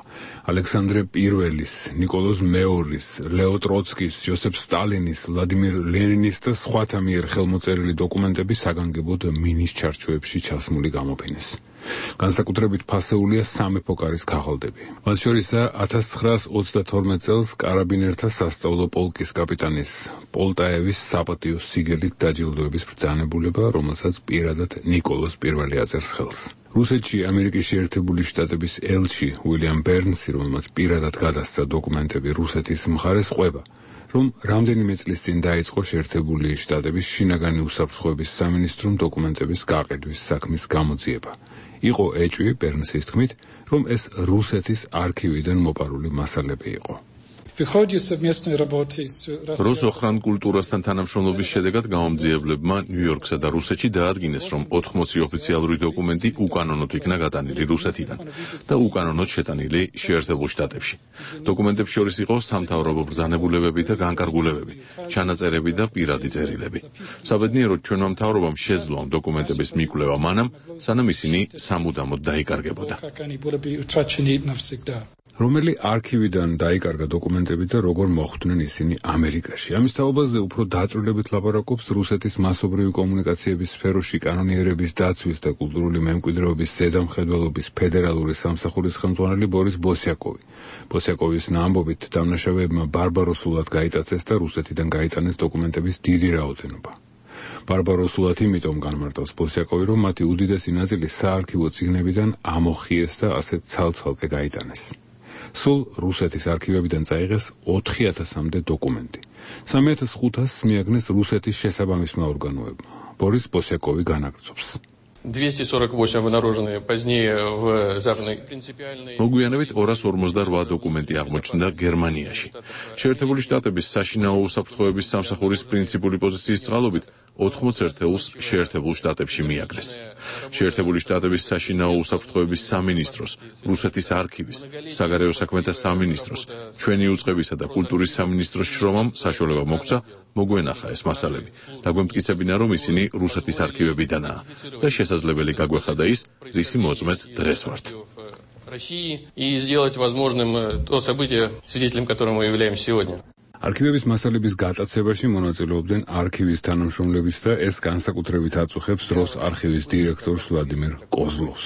ალექსანდრე პირველის, ნიკოლოზ მეორის, ლეო ტროცკის, ჯოსეფ სტალინის, ვლადიმირ ლენინის და სხვათა მიერ ხელმოწერილი დოკუმენტები საგანგებოდ მინის ჩარჩოებში ჩასმული გამოფინეს. განსაკუთრებით ფასეულია სამეფო კარის ქაღალდები. მათ შორისაა 1932 წელს კარაბინერთა სასწავლო პოლკის კაპიტანის პოლტაევის საპატიო სიგელით დაჯილდოების ბრძანებულება, რომელსაც პირადად ნიკოლოზ პირველი აწერს ხელს. რუსეთში ამერიკის შეერთებული შტატების ელჩი უილიამ ბერნსი, რომელმაც პირადად გადასცა დოკუმენტები რუსეთის მხარეს, ყვება, რომ რამდენიმე წლის წინ დაიწყო შეერთებული შტატების შინაგანი უსაფრთხოების სამინისტრომ დოკუმენტების გაყიდვის საქმის გამოძიება. იყო ეჭვი ბერნსის თქმით, რომ ეს რუსეთის არქივიდან მოპარული მასალები იყო. რუს ოხრან კულტურასთან თანამშრომლობის შედეგად გამომძიებლებმა ნიუ-იორკსა და რუსეთში დაადგინეს, რომ 80 ოფიციალური დოკუმენტი უკანონოდ იქნა გატანილი რუსეთიდან და უკანონოდ შეტანილი შეერთებულ შტატებში. დოკუმენტებს შორის იყო სამთავრობო ბრძანებულებები და განკარგულებები, ჩანაწერები და პირადი წერილები. საბედნიეროდ ჩვენმა მთავრობამ შეძლო ამ დოკუმენტების მიკვლევა მანამ, სანამ ისინი სამუდამოდ დაიკარგებოდა. რომელი არქივიდან დაიკარგა დოკუმენტები და როგორ მოხვდნენ ისინი ამერიკაში. ამის თაობაზე უფრო დაწვრილებით ლაპარაკობს რუსეთის მასობრივი კომუნიკაციების სფეროში კანონიერების დაცვის და კულტურული მემკვიდრეობის ზედამხედველობის ფედერალური სამსახურის ხელმძღვანელი ბორის ბოსიაკოვი. ბოსიაკოვის ამბობით დამნაშავეებმა ბარბაროსულად გაიტაცეს და რუსეთიდან გაიტანეს დოკუმენტების დიდი რაოდენობა. ბარბაროსულად იმიტომ განმარტავს ბოსიაკოვი, რომ მათი უდიდესი ნაწილი საარქივო წიგნებიდან ამოხიეს და ასეთ ცალ-ცალკე გაიტანეს. სულ რუსეთის არქივებიდან წაიღეს 4000-მდე დოკუმენტი. 3500-ს მიაგნეს რუსეთის შესაბამისმა ორგანოებმა. ბორის ბოსიაკოვი განაგრძობს. 248 обнаруженные позднее в западной принципиальной. მოგვიანებით 248 დოკუმენტი აღმოჩნდა გერმანიაში. შეერთებული შტატების საშინაო უსაფრთხოების სამსახურის პრინციპული პოზიციის წყალობით 80 ერთეულს შეერთებულ შტატებში მიაგნეს. შეერთებული შტატების საშინაო უსაფრთხოების სამინისტროს, რუსეთის არქივის, საგარეო საქმეთა სამინისტროს, ჩვენი უწყებისა და კულტურის სამინისტროს შრომამ საშუალება მოგვცა მოგვენახა ეს მასალები. დაგვემტკიცებინა, რომ ისინი რუსეთის არქივებიდანაა და შესაძლებელი გაგვეხადა ის, რისი მოწმეს დღეს ვართ. И сделать возможным то событие, свидетелем которого мы являемся сегодня. არქივების მასალების გატაცებაში მონაწილეობდნენ არქივის თანამშრომლებიც და ეს განსაკუთრებით აწუხებს როს არქივის დირექტორს ვლადიმერ კოზლოვს.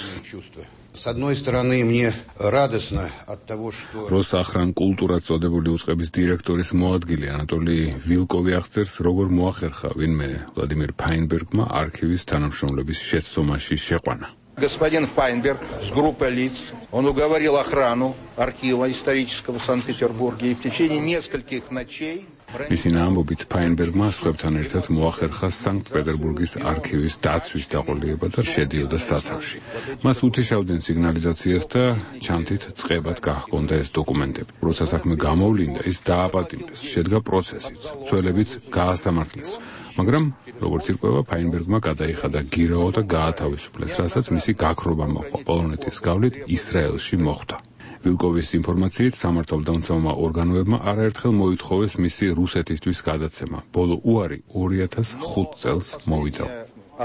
С одной стороны, мне радостно от того, что როს ახრან კულტურა წოდებული უწყების დირექტორის მოადგილე ანატოლი ვილკოვი აღწერს, როგორ მოახერხა ვინმე ვლადიმერ ფაინბერგმა არქივის თანამშრომლების შეცდომაში შეყვანა. Господин Файнберг с группой лиц, он уговорил охрану архива исторического в Санкт-Петербурге и в течение нескольких ночей მისი ამბობით ფაინბერგმა სხვებთან ერთად მოახერხა სანქტ-პეტერბურგის არქივის დაცვის დაყოლება და შედიოდა საცავში. მას უთიშავდნენ სიგნალიზაციას და ჩანთით წყებად გაჰქონდა ეს დოკუმენტები. როცა საქმე გამოვლინდა, ის დააპატიმრეს, შედგა პროცესიც, ცვლილებიც გაასამართლეს. მაგრამ როგორც ირკვევა, ფაინბერგმა გადაიხადა გირაო და გაათავისუფლეს, რასაც მისი გაქრობა მოყვა პოლონეთის გავლით ისრაელში მოხვდა. ვილკოვის ინფორმაციით სამართალდამცავმა ორგანოებმა არაერთხელ მოითხოვეს მისი რუსეთისთვის გადაცემა. ბოლო უარი 2005 წელს მოვიდა.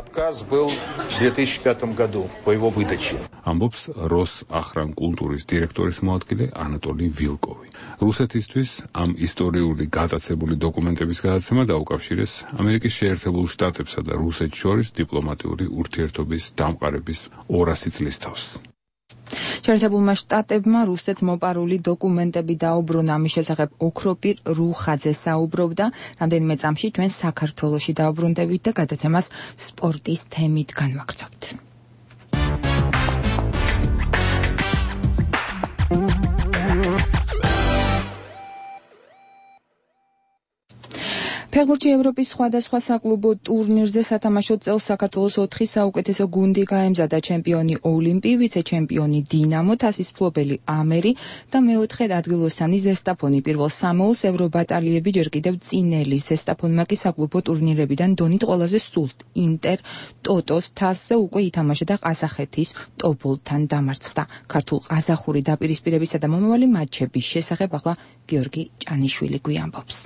Отказ был в 2005 году по его выдаче. ამბობს როს ახრან კულტურის დირექტორის მოადგილე ანატოლი ვილკოვი. რუსეთისთვის ამ ისტორიული გატაცებული დოკუმენტების გადაცემა დაუკავშირეს ამერიკის შეერთებულ შტატებსა და რუსეთს შორის დიპლომატიური ურთიერთობის დამყარების 200 წლის თავს. შეერთებულმა შტატებმა რუსეთს მოპარული დოკუმენტები დაუბრუნა. ამის შესახებ ოქროპირ რუხაძე საუბრობდა. რამდენიმე წამში ჩვენ საქართველოში დაუბრუნდებით და გადაცემას სპორტის თემით განვაგრძობთ. ფეხბურთში ევროპის სხვადასხვა საკლუბო ტურნირზე სათამაშო წელს საქართველოს 4 საუკეთესო გუნდი გაემზადა: ჩემპიონი ოლიმპი, ვიცე-ჩემპიონი დინამო, თასის მფლობელი ამერი და მეოთხე ადგილოსანი ზესტაფონი. პირველ სამეულს ევრობატალიები ჯერ კიდევ წინელი. ზესტაფონმა კი საკლუბო ტურნირებიდან დონით ყველაზე სუსტ ინტერ ტოტოს თასზე უკვე ითამაშა და ყაზახეთის ტოპოლთან დამარცხდა. ქართულ ყაზახური დაპირისპირებისა და მომავალი მატჩების შესახებ ახლა გიორგი ჭანიშვილი გვიამბობს.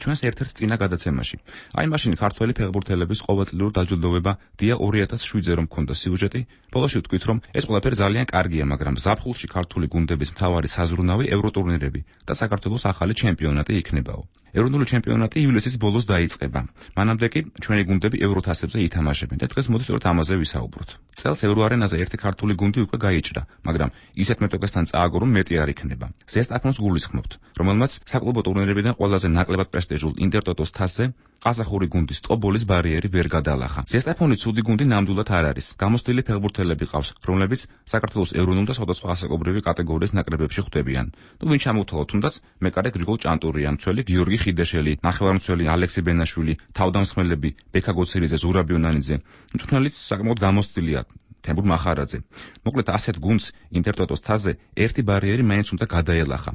ჩვენს ერთ-ერთ წინა გადაცემაში. აი მაშინ ქართველი ფეხბურთელების ყოველწლიურ დაჯილდოვება დია 2007-ზე რომ მქონდა სიუჟეტი, ბოლოში ვთქვით, რომ ეს ყველაფერი ძალიან კარგია, მაგრამ ზაფხულში ქართული გუნდების მთავარი საზრუნავი ევროტურნირები და საქართველოს ახალი ჩემპიონატი იქნებაო. ეროვნული ჩემპიონატი ივლისის ბოლოს დაიწყება. მანამდე კი ჩვენი გუნდები ევროთასებზე ითამაშებენ და დღეს მოდი სწორედ ამაზე ვისაუბროთ. წელს ევროარენაზე ერთი ქართული გუნდი უკვე გაიჭრა, მაგრამ ისეთ მეტოქესთან წააგო, რომ მეტი არ იქნება. ზესტაფონს გულისხმობთ, რომელმაც საკლუბო ტურნირებიდან ყველაზე ნაკლებად პრესტიჟულ ინტერტოტოს თასზე ყაზახური გუნდის ტობოლის ბარიერი ვერ გადალახა. ზესტაფონი ცუდი გუნდი ნამდვილად არ არის. გამოცდილი ფეხბურთელები ყავს, რომლებიც საქართველოს ეროვნულ და სხვადასხვა ასაკობრივი კატეგორიის ნაკრებებში ხვდებიან. ვინ ჩამოვთვალოთ, თუნდაც მეკარე გრიგოლ ჭანტურია, მცველი გიორგი ხიდეშელი, ნახევარმცველი ალექსი ბენაშვილი, თავდამსხმელები ბექა გოცირიძე, ზურაბ იონანიძე. მწვრთნელიც საკმაოდ გამოცდილია. თემურ მახარაძე. მოკლედ ასეთ გუნდს ინტერტოტოს თასზე ერთი ბარიერი მაინც უნდა გადაელახა.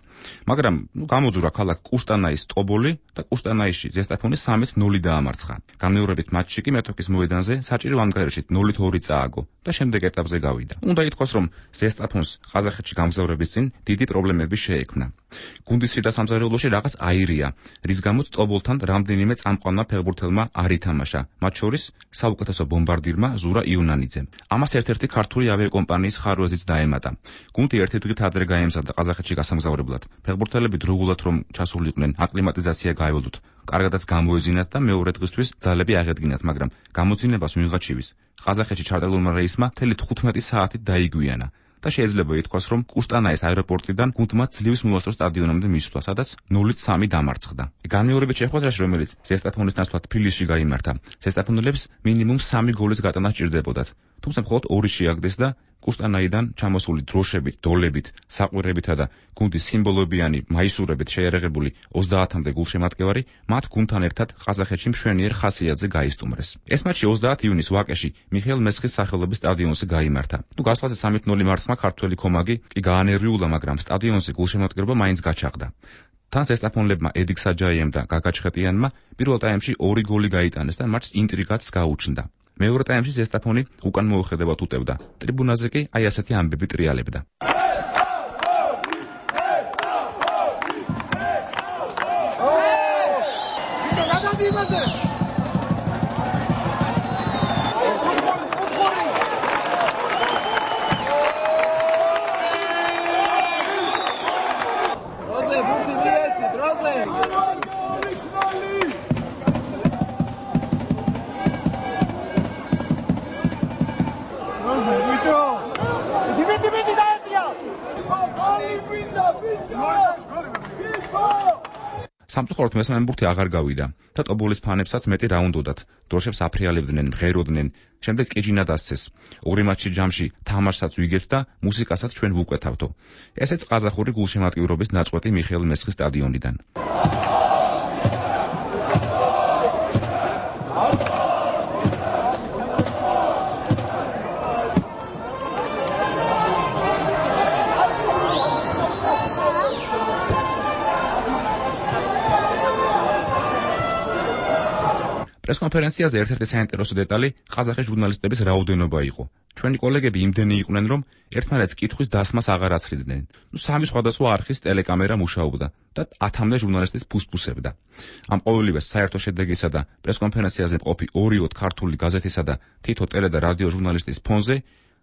მაგრამ გამოძურა ქალაქ კუშტანაის ტობოლი და კუშტანაისში ზესტაფონი 3-0 დაამარცხა. განმეორებით მატჩში კი მეტოქის მოედანზე საჭირო ანგარიშით 0-2 წააგო და შემდეგ ეტაპზე გავიდა. უნდა ითქვას, რომ ზესტაფონს ყაზახეთში გამგზავრების წინ დიდი პრობლემები შეექმნა. გუნდის შიდა სამზარეულოში რაღაც აირია, რის გამოც ტობოლთან რამდენიმე წამყვანმა ფეხბურთელმა არ ითამაშა, მათ შორის საუკეთესო ბომბარდირმა ზურა იონანიძემ. ამას ერთ-ერთი ქართული ავიაკომპანიის ხარვეზიც დაემატა. გუნდი ერთი დღით ადრე გაემზადა ყაზახეთში გასამგზავრებლად. ფეხბურთელები დროულად რომ ჩასულიყვნენ, აკლიმატიზაცია გაევლოთ. კარგადაც გამოეძინათ და მეორე დღისთვის ძალები აღედგინათ, მაგრამ გამოძინებას ვიღაჩივის. ყაზახეთში ჩარტარებულმა რეისმა მთელი 15 საათით დაიგვიანა. და შეიძლება ითქვას, რომ კუშტანაის აეროპორტიდან გუნდმა ძლივს მოასწრო სტადიონამდე მისვლა, სადაც 0-3 დამარცხდა. განმეორებით შეხვედრაში, რომელიც ზესტაფონის ნაცვლად თბილისში გაიმართა, ზესტაფონელებს მინიმუმ 3 გოლის გატანა სჭირდებოდათ. თუმცა მხოლოდ 2 შეაგდეს და კუშტანაიდან ჩამოსული დროშებით, დოლებით, საყვირებითა და გუნდის სიმბოლოებიანი მაისურებით შეერაღებული 30-მდე გულშემატკივარი მათ გუნდთან ერთად ყაზახეთში მშვენიერ ხასიათზე გაისტუმრეს. ეს მატჩი 30 იუნის ვაკეში მიხეილ მესხის სახელობის სტადიონზე გაიმართა. გასვლაზე 3-0 მარცხმა ქართველი კომაგი კი გაანერვიულა, მაგრამ სტადიონზე გულშემატკივრობა მაინც გაჩაღდა. თან ზესტაფონლებმა ედიქ საჯაიემ და გაგა ჩხეტიანმა პირველ ტაიმში 2 გოლი გაიტანეს და მატჩს ინტრიგაც გაუჩნდა. მეორე ტაიმში ზესტაფონი უკან მოუხედავად უტევდა. ტრიბუნაზე კი აი ასეთი ამბები ტრიალებდა. სამწუხაროდ მესამე ბურთი აღარ გავიდა და ტობოლის ფანებსაც მეტი რა უნდოდათ. დროშებს აფრიალებდნენ, მღეროდნენ, შემდეგ ყიჯინა დასცეს. ორი მატჩი ჯამში თამაშსაც ვიგებთ და მუსიკასაც ჩვენ ვუკვეთავთო. ესეც ყაზახური გულშემატკივრობის ნაწყვეტი მიხეილ მესხის სტადიონიდან. პრესკონფერენციაზე ერთ-ერთი საინტერესო დეტალი ყაზახი ჟურნალისტების რაოდენობა იყო. ჩვენი კოლეგები იმდენი იყვნენ, რომ ერთმანეთს კითხვის დასმას აღარ აცლიდნენ. 3 სხვადასხვა არხის ტელეკამერა მუშაობდა და 10-მდე ჟურნალისტის ფუსფუსებდა. ამ ყოველივეს საერთო შედეგისა და პრესკონფერენციაზე მყოფი 2-ოთ ქართული გაზეთისა და თითო ტელე და რადიო ჟურნალისტის ფონზე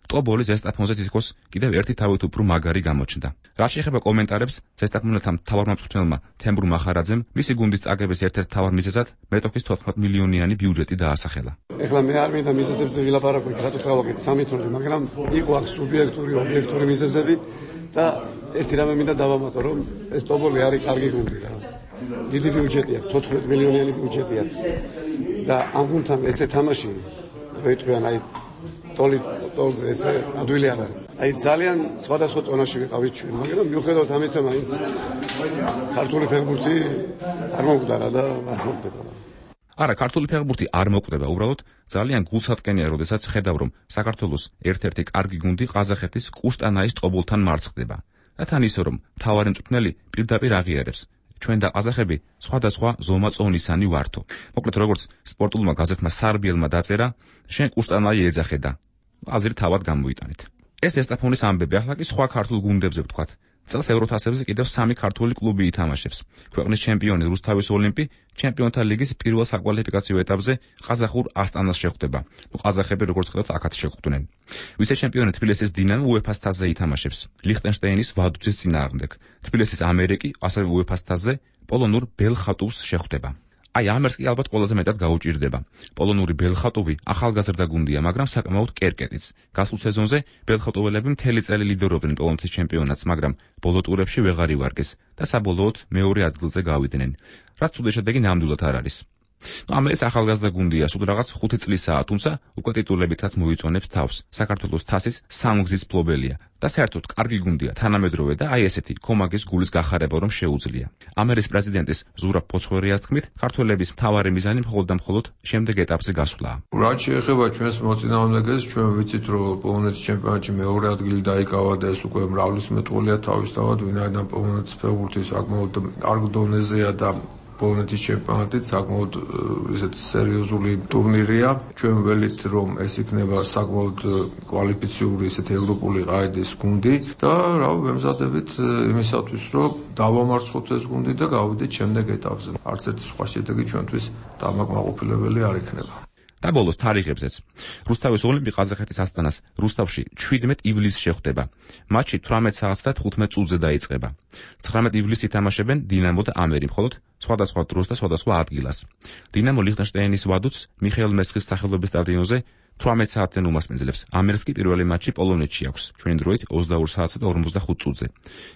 ტობოლის ზესტაფონზე თითქოს კიდევ ერთი თავით უფრო მაგარი გამოჩნდა. რაც შეეხება კომენტარებს, ზესტაფონელთა მთავარმა მწვრთნელმა თემურ მახარაძემ მისი გუნდის წაგების ერთ-ერთ მთავარ მიზეზად მეტოქის 14 მილიონიანი ბიუჯეტი დაასახელა. ეხლა მე არ მინდა მიზეზებზე ვილაპარაკო, რატო წავაკეთ 3-0, მაგრამ იყო აქ სუბიექტური, ობიექტური მიზეზები და ერთი რამე მინდა დავამატო, რომ ეს ტობოლი არის კარგი გუნდი რა. დიდი ბიუჯეტი აქვს, 14 მილიონიანი ბიუჯეტი აქვს. და ამ გუნდთან ესე თამაში, რო იტყვიან, აი ტოლზე ესე ადვილი არ არის. აი ძალიან სხვადასხვა წონაში ვიყავით ჩვენ, მაგრამ მიუხედავად ამისა, მაინც ქართული ფეხბურთი არ მოკვდა და არც მოკვდება. არა, ქართული ფეხბურთი არ მოკვდება, უბრალოდ ძალიან გულსატკენია, როდესაც ხედავ, რომ საქართველოს ერთ-ერთი კარგი გუნდი ყაზახეთის კუშტანაის ტობოლთან მარცხდება. და თან ისე, რომ მთავარი მწვრთნელი პირდაპირ აღიარებს. ჩვენ და ყაზახები სხვადასხვა ზომაწონისანი ვართო. მოკლედ, როგორც სპორტულმა გაზეთმა სარბიელმა დაწერა, შენ კუშტანაი ეძახედა. აზრი თავად გამოიტანეთ. ეს ზესტაფონის ამბები, ახლა კი სხვა ქართულ გუნდებზე ვთქვათ. წელს ევროთასებზე კიდევ 3 ქართული კლუბი ითამაშებს. ქვეყნის ჩემპიონი რუსთავის ოლიმპი ჩემპიონთა ლიგის პირველ საკვალიფიკაციო ეტაპზე ყაზახურ ასტანას შეხვდება. ყაზახები როგორც ხედავთ, აქაც შეხვდნენ. ვიცე-ჩემპიონი თბილისის დინამო უეფა-ს თასზე ითამაშებს. ლიხტენშტეინის ვადუცის წინააღმდეგ. თბილისის ამერიკი ასევე უეფა-ს თასზე პოლონურ ბელხატუვს შეხვდება. აი ამერს კი ალბათ ყველაზე მეტად გაუჭირდება. პოლონური ბელხატუვი ახალგაზრდა გუნდია, მაგრამ საკმაოდ კერკეტიც. გასულ სეზონზე ბელხატუველები მთელი წელი ლიდერობდნენ პოლონეთის ჩემპიონატს, მაგრამ ბოლო ტურებში ვეღარ ივარგეს და საბოლოოდ მეორე ადგილზე გავიდნენ. რაც ცუდი შედეგი ნამდვილად არ არის. ამერს ახალგაზრდა გუნდია, სულ რაღაც 5 წლისაა, თუმცა უკვე ტიტულებითაც მოიწონებს თავს. საქართველოს თასის სამგზის ფლობელია და საერთოდ კარგი გუნდია, თანამედროვე და აი ესეთი კომაგის გულის გახარება რომ შეუძლია. ამერის პრეზიდენტის ზურაბ ფოცხორიას თქმით, ქართველების მთავარი მიზანი მხოლოდ და მხოლოდ შემდეგ ეტაპზე გასვლაა. რაც შეეხება ჩვენს მოწინააღმდეგეს, ჩვენ ვიცით, რომ პოლონეთის ჩემპიონატში მეორე ადგილი დაიკავა და ეს უკვე მრავლისმეტყველია თავისთავად, ვინაიდან პოლონეთის ფეხბურთი საკმაოდ კარგ დონეზეა და პოლონეთის ჩემპიონატით საკმაოდ ისეთ სერიოზული ტურნირია. ჩვენ ველით, რომ ეს იქნება საკმაოდ კვალიფიციური ისეთ ევროპული ყაედის გუნდი და რა ვემზადებით იმისათვის, რომ დავამარცხოთ ეს გუნდი და გავიდეთ შემდეგ ეტაპზე. არც ერთი სხვა შედეგი ჩვენთვის დამაკმაყოფილებელი არ იქნება. და ბოლოს თარიღებზეც. რუსთავის ოლიმპი ყაზახეთის ასტანას რუსთავში 17 ივლისს შეხვდება. მატჩი 18 საათს და 15 წუთზე დაიწყება. 19 ივლისს ითამაშებენ დინამო და ამერი, მხოლოდ სხვადასხვა დროს და სხვადასხვა ადგილას. დინამო ლიხტენშტაინის ვადუცს მიხეილ მესხის სახელობის სტადიონზე 18 საათზე უმასპინძლებს. ამერს კი პირველი მატჩი პოლონეთში აქვს. ჩვენი დროით 22 საათსა და 45 წუთზე.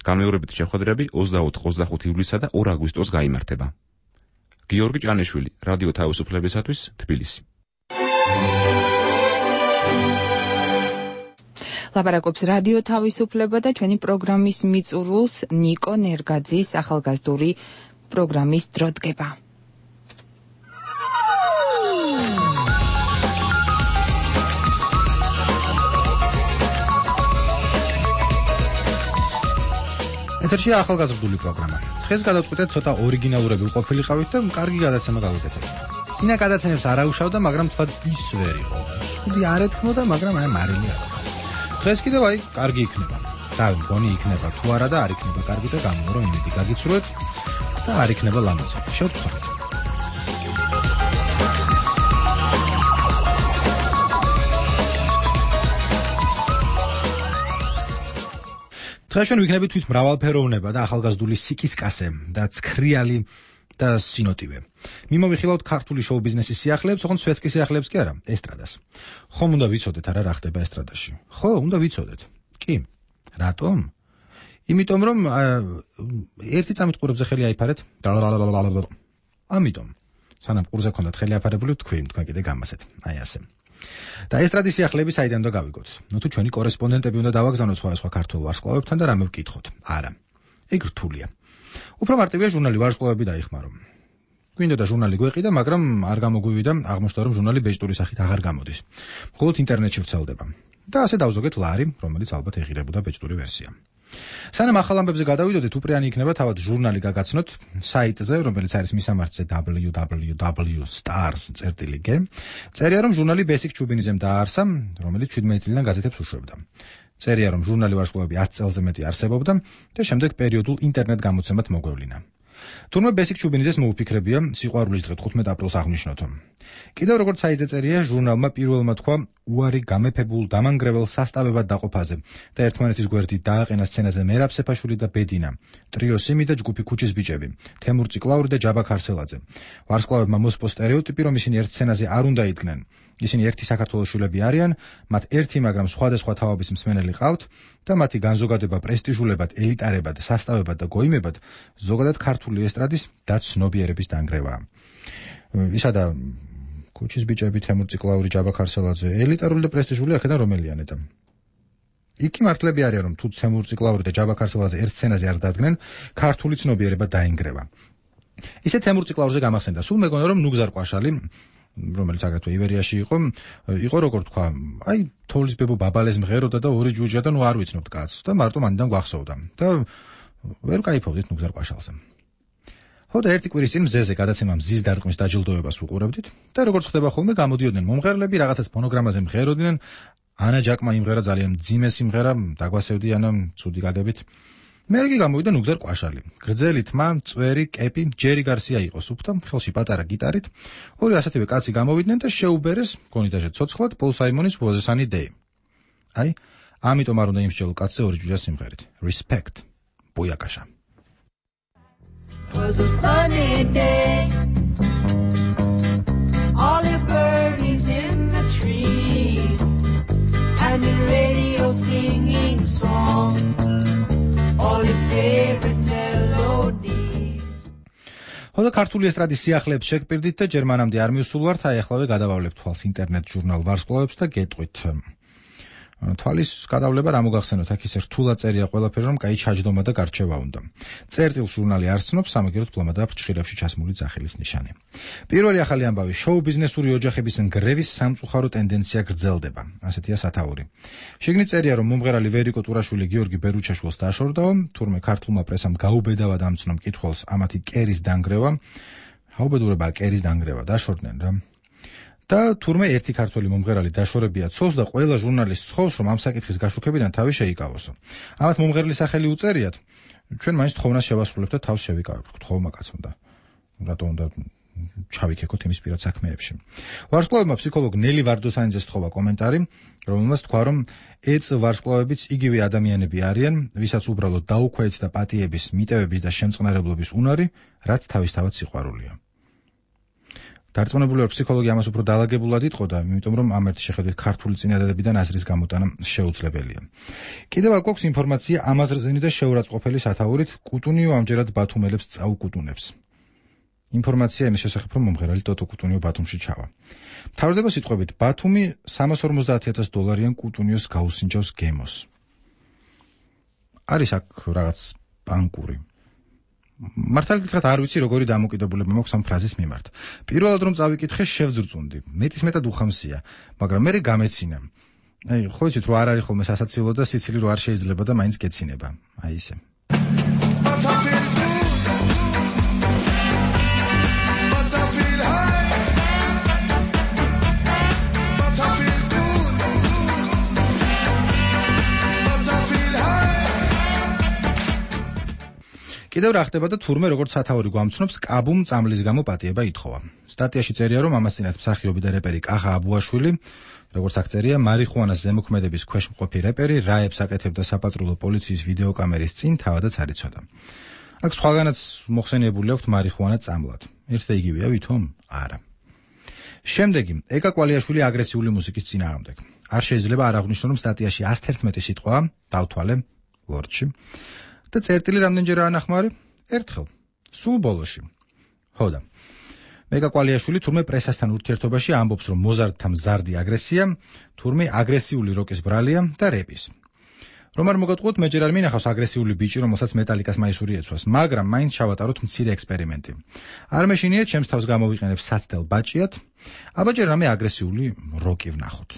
განმეორებითი შეხვედრები 24-25 ივლისსა და 2 აგვისტოს გაიმართება. გიორგი ჭანიშვილი, რადიო თავისუფლებისათვის, თბილისი. ლაპარაკობს რადიო თავისუფლება და ჩვენი პროგრამის მიწურულს ნიკო ნერგაძის ახალგაზრდული პროგრამის დრო დგება. ეთერშია ახალგაზრდული პროგრამა. დღეს გადავწყვიტეთ ცოტა ორიგინალურები ვყოფილიყავით და კარგი გადაცემა გავუკეთებთ. წინა გადაცემებს არ აუშავდა, მაგრამ თქვა ის ვერ იყო. ცუდი არ ეთქმოდა, მაგრამ აი მარილი არა. დღეს კიდევ აი კარგი იქნება. რა მგონი იქნება თუ არა და არ იქნება კარგი და გამოვრო იმედი გაგიცრუეთ და არ იქნება ლამაზი. შევცვალეთ. დღეს ჩვენ ვიქნებით თვით მრავალფეროვნება და ახალგაზრდული სიკისკასე და ცქრიალი და სინოტივე. მიმოვიხილავთ ქართული შოუ-ბიზნესის სიახლეებს, ოღონდ სვეტსკის სიახლეებს კი არა, ესტრადას. ხომ უნდა ვიცოდეთ არა რა ხდება ესტრადაში? ხო, უნდა ვიცოდეთ. კი. რატომ? იმიტომ რომ ერთი წამით ყურებზე ხელი აიფარეთ. ამიტომ. სანამ ყურზე ქონდათ ხელი აფარებული, თქვენ კიდე გამასეთ. აი ასე. და ესტრადის სიახლეები საიდან უნდა გავიგოთ? ნუ თუ ჩვენი კორესპონდენტები უნდა დავაგზავნოთ სხვა ქართულ ვარსკვლავებთან და რამე ვკითხოთ. არა. ეგ რთულია. უფრო მარტივია ჟურნალი ვარსკვლავები დაიხმარო. გვინდა და ჟურნალი გვეყიდა, მაგრამ არ გამოგვივიდა, აღმოჩნდა რომ ჟურნალი ბეჭდური სახით აღარ გამოდის. მხოლოდ ინტერნეტში ვრცელდება. და ასე დავზოგეთ ლარი, რომელიც ალბათ ეღირებოდა ბეჭდური ვერსია. სანამ ახალ ამბებზე გადავიდოდეთ, უპრიანი იქნება თავად ჟურნალი გაგაცნოთ საიტზე, რომელიც არის მისამართზე www.stars.g. წერია რომ ჟურნალი ბესიკ ჩუბინიძემ დააარსა, რომელიც 17 წლიდან გაზეთებს უშვებდა. წერია რომ ჟურნალი ვარსკვლავები 10 წელზე მეტი არსებობდა და შემდეგ პერიოდულ ინტერნეტ გამოცემად მოგვევლინა. თურმე ბესიკ ჩუბინიძეს მოუფიქრებია სიყვარულის დღე 15 აპრილს აღნიშნოთო. კიდევ როგორც საიტზე წერია, ჟურნალმა პირველმა თქვა უარი გამეფებულ დამანგრევალ სასტავებად დაყოფაზე და ერთმანეთის გვერდით დააყენა სცენაზე მერაბ სეფაშვილი და ბედინა, ტრიო სიმი და ჯგუფი ქუჩის ბიჭები, თემურ ციკლაური და ჯაბა ქარსელაძე. ვარსკვლავებმა მოსპო სტერეოტიპი, რომ ისინი ერთ სცენაზე არ უნდა იდგნენ. ისინი ერთი საქართველოს შვილები არიან, მათ ერთი, მაგრამ სხვადასხვა თაობის მსმენელი ყავთ და მათი განზოგადება პრესტიჟულებად, ელიტარებად, სასტავებად და გოიმებად ზოგადად ქართული ესტრადის და ცნობიერების დანგრევაა. ისადა ქუჩის ბიჭები, თემურ ციკლაური, ჯაბა ქარსელაძე, ელიტარული და პრესტიჟული აქედან რომელიანე და იქ მართლები არიან, რომ თუ თემურ ციკლაური და ჯაბა ქარსელაძე ერთ სცენაზე არ დადგნენ, ქართული ცნობიერება დაინგრევა. ისე თემურ ციკლაურზე გამახსენდა, სულ მეგონა რომ ნუგზარ ყვაშალი, რომელიც აგრეთვე ივერიაში იყო როგორ თქვა, აი თოვლის ბებო ბაბალეს მღეროდა და ორი ჯუჯა და ნუ არ ვიცნობთ კაცს და მარტო მანდან გვახსოვდა და ვერ кайფობდით ნუგზარ ყვაშალზე. ხო და ერთი კვირის წინ მზეზე გადაცემა მზის დარტყმის დაჯილდოებას უყურებდით და როგორც ხდება ხოლმე გამოდიოდნენ მომღერლები, რაღაცას ფონოგრამაზე მღეროდნენ. ანა ჯაკმა იმღერა ძალიან მძიმე სიმღერა, დაგვასევდი ანა ცუდი გაგებით. მერე კი გამოვიდა ნუგზარ ყვაშალი. გრძელი თმა, წვერი, კეპი, ჯერი გარსია იყო სუფთა, ხელში პატარა გიტარით. ორი ასეთივე კაცი გამოვიდნენ და შეუბერეს გონიტაჟე ცოცხლად პოლ საიმონის ვოზესანი დეი. აი, ამიტომ არ უნდა იმსჯელო კაცზე ორი ჯუჯა სიმღერით. Respect. ბუიაკაშა. 'Twas a sunny day. All the birdies in the trees and the radio singing song. All the favorite melodies. ხოდა ქართული ესტრადის სიახლეებს შეგპირდით და ჯერ მანამდე არ მივსულვართ, აი ახლა გადავავლებ თვალს ინტერნეტ ჟურნალ ვარსკვლავებს და გეტყვით. თვალის გადავლება რა მოგახსენოთ, აქ ისე რთულად წერია ყველაფერი, რომ კაი ჩაჯდომა და გარჩევა უნდა. წერტილ ჟურნალი არ ცნობს, სამაგიეროდ ფლომა და ფრჩხილებში ჩასმული ძახილის ნიშანი. პირველი ახალი ამბავი, შოუ ბიზნესური ოჯახების ნგრევის სამწუხარო ტენდენცია გრძელდება. ასეთია სათაური. შიგნით წერია, რომ მომღერალი ვერიკო ტურაშვილი გიორგი ბერუჩაშვილს დაშორდაო, თურმე ქართულმა პრესამ გაუბედავა დამცნო მკითხველს ამათი კერის დანგრევა. გაუბედურება კერის დანგრევა დაშორდნენ რა. და თურმე ერთი ქართველი მომღერალი დაშორებია ცოლს და ყველა ჟურნალისტს სთხოვს, რომ ამ საკითხის გაშუქებიდან თავი შეიკავოსო. ამათ მომღერლის სახელი უწერიათ, ჩვენ მაინც თხოვნას შევასრულებთ და თავს შევიკავებთ. გთხოვმა კაცო და რატო უნდა ჩავიქეკოთ იმის პირად საქმეებში. ვარსკვლავებმა ფსიქოლოგ ნელი ვარდოსანიძეს სთხოვა კომენტარი, რომელმაც თქვა, რომ ეწ ვარსკვლავებიც იგივე ადამიანები არიან, ვისაც უბრალოდ დაუქვეით და პატიების, მიტევების და შემწყნარებლობის უნარი, რაც თავისთავად სიყვარულია. დარწმუნებული ვარ, ფსიქოლოგი ამას უფრო დაალაგებულად იტყოდა, იმიტომ რომ ამ ერთი შეხედვით ქართული წინადადებიდან აზრის გამოტანა შეუძლებელია. კიდევ აქ გვაქვს ინფორმაცია ამაზრზენი და შეურაცხყოფელი სათაურით, კუტუნიო ამჯერად ბათუმელებს წაუკუტუნებს. ინფორმაცია იმის შესახებ, რომ მომღერალი ტოტო კუტუნიო ბათუმში ჩავა. მთავრდება სიტყვებით, ბათუმი $350,000 კუტუნიოს გაუსინჯავს გემოს. არის აქ რაღაც ბანკური მართალი გითხრათ არ ვიცი როგორი დამოკიდებულება მაქვს ამ ფრაზის მიმართ. პირველად რომ წავიკითხე შევძრწუნდი. მეტისმეტად უხამსია, მაგრამ მე გამეცინა. აი, ხო იცით რომ არ არის ხოლმე სასაცილო და სიცილი რო არ შეიძლება და მაინც გეცინება. აი ისე. კიდევ რა ხდება და თურმე როგორც სათაური გვამცნობს, კაბუმ წამლის გამო პატიება ითხოვა. სტატიაში წერია, რომ ამასინათ მსახიობი და რეპერი კახა აბუაშვილი, როგორც აქ წერია, მარიხუანას ზემოქმედების ქვეშ მყოფი რეპერი რაებს აკეთებდა საპატრულო პოლიციის ვიდეოკამერის წინ თავადაც არ იცოდა. აქ სხვაგანაც მოხსენიებული აქვს მარიხუანა წამლად. ერთ და იგივეა ვითომ? არა. შემდეგი, ეკა კვალიაშვილი აგრესიული მუსიკის წინააღმდეგ. არ შეიძლება არ აღვნიშნო, რომ სტატიაში 111 სიტყვა დავთვალე ვორდში. და წერტილი რამდენჯერ ანახმარი? ერთხელ. სულ ბოლოში. ხოდა. მეკა კვალიაშვილი თურმე პრესასთან ურთიერთობაში ამბობს, რომ მოზარდთა მზარდი აგრესია, თურმე აგრესიული როკის ბრალია და რეპის. რომ არ მოგატყუოთ, მე ჯერ არ მინახავს აგრესიული ბიჭი, რომელსაც მეტალიკას მაისური ეცვას, მაგრამ მაინც ჩავატაროთ მცირე ექსპერიმენტი. არ მეშინიათ ჩემს თავს გამოვიყენებ საცდელ ბაჭიად, აბა ჯერ რამე აგრესიული როკი ვნახოთ.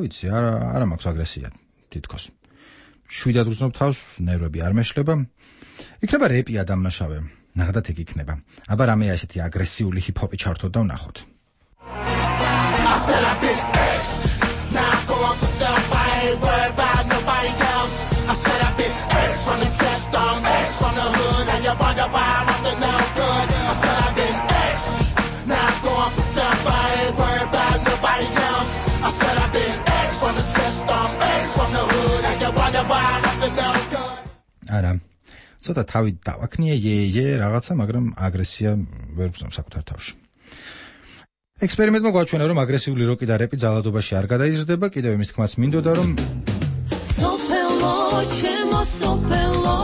ვიცი, არა მაქვს აგრესია თითქოს. შვიდად ვრძნობ თავს, ნერვები არ მეშლება. იქნება რეპი ადამიანშავე, ნახდათ ეგ იქნება. აბა რამე ასეთი აგრესიული ჰიპ-ჰოპი ჩართოთ და ვნახოთ. არა, ცოტა თავი დავაქნიე, რაღაცა, მაგრამ აგრესია ვერ ვგზნობს საკუთარ თავში. ექსპერიმენტმა გვაჩვენა, რომ აგრესიული როკი და რეპი ძალადობაში არ გადაიზრდება, კიდევ იმის თქმაც მინდოდა, რომ სოფელო, ჩემო სოფელო,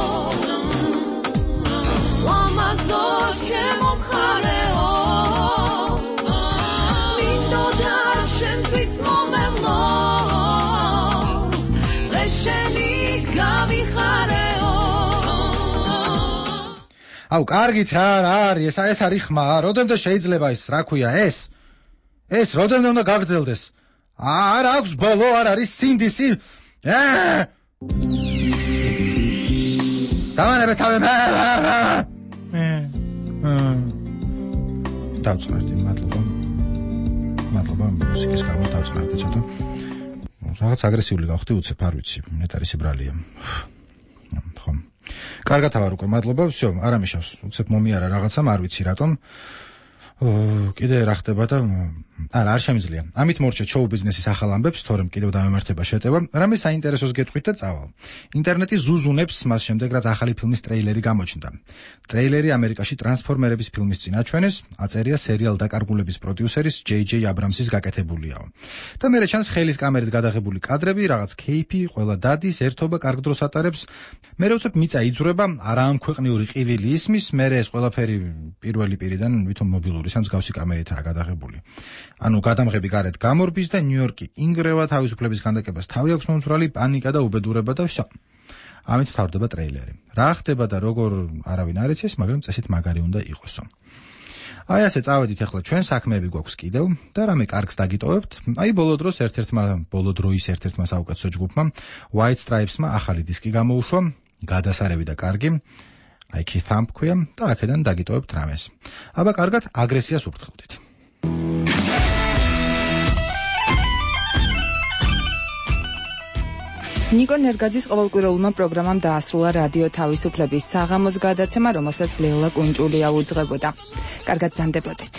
ლამაზო, ჩემო მხარეო, მინდოდა შენთვის მომევლო, ლეშენი გავიხარეო. აუ, კარგით რა არის, ეს არის ხმა, როდემდე შეიძლება ის, რა ქვია, ეს როდემდე უნდა გაგრძელდეს? არ აქვს ბოლო, არ არის სინდისი. დავანებე თავი. დავწყნარდი, მადლობა, მუსიკის გამო დავწყნარდი ცოტა. რაღაც აგრესიული გავხდი უცებ, არ ვიცი, ნეტარი სიბრალია. ხო. კარგად ავარ უკვე, მადლობა, всё, არ ამიშავს, უცებ მომიარა რაღაცამ, არ ვიცი რატომ. კიდე რა ხდება და არა, არ შემიძლია. ამით მორჩეთ შოუ ბიზნესის ახალ ამბებს, თორემ კიდევ დამემართება შეტევა. რამე საინტერესოს გეტყვით და წავალ. ინტერნეტი ზუზუნებს მას შემდეგ, რაც ახალი ფილმის ტრეილერი გამოჩნდა. ტრეილერი ამერიკაში ტრანსფორმერების ფილმის წინ აჩვენეს, აწერია სერიალ დაკარგულების პროდიუსერის J.J. Abrams-ის გაკეთებულიაო. და მერე ჩანს ხელის კამერით გადაღებული კადრები, რაღაც кейფი, ყველა დადის, ერთობა კარგ დროს ატარებს. მერე უცებ მიწა იძვრება, არაამქვეყნიური ყივილი ისმის, მერე ეს ყველაფერი პირველი პირიდან ვითომ მობილური სამსგავსი კამერითაა გადაღებული. ანუ გადამღები გარეთ გამორბის და ნიუ-იორკი ინგრევა თავისუფლების ქანდაკებას თავი აქვს მომძვრალი, პანიკა და უბედურება და ვსო. ამით თავდება ტრეილერი. რა ხდება და როგორ არავინ არ იცის, მაგრამ წესით მაგარი უნდა იყოსო. აი ასე წავედით ახლა ჩვენ საქმეები გვაქვს კიდევ და რამე კარგს დაგიტოვებთ. აი ბოლო დროის ერთ-ერთმა საუკეთესო ჯგუფმა White Stripes-მა ახალი დისკი გამოუშვა, გადასარევი და კარგი. აი Keith Thumb ქვია და აქედან დაგიტოვებთ რამეს. აბა კარგად აგრესიას უფრთხილდით. ნიკო ნერგაძის ყოველკვირეულმა პროგრამამ დაასრულა რადიო თავისუფლების საღამოს გადაცემა, რომელსაც ლელა კუნჭულია უძღვებოდა. კარგად ზანდებოდეთ.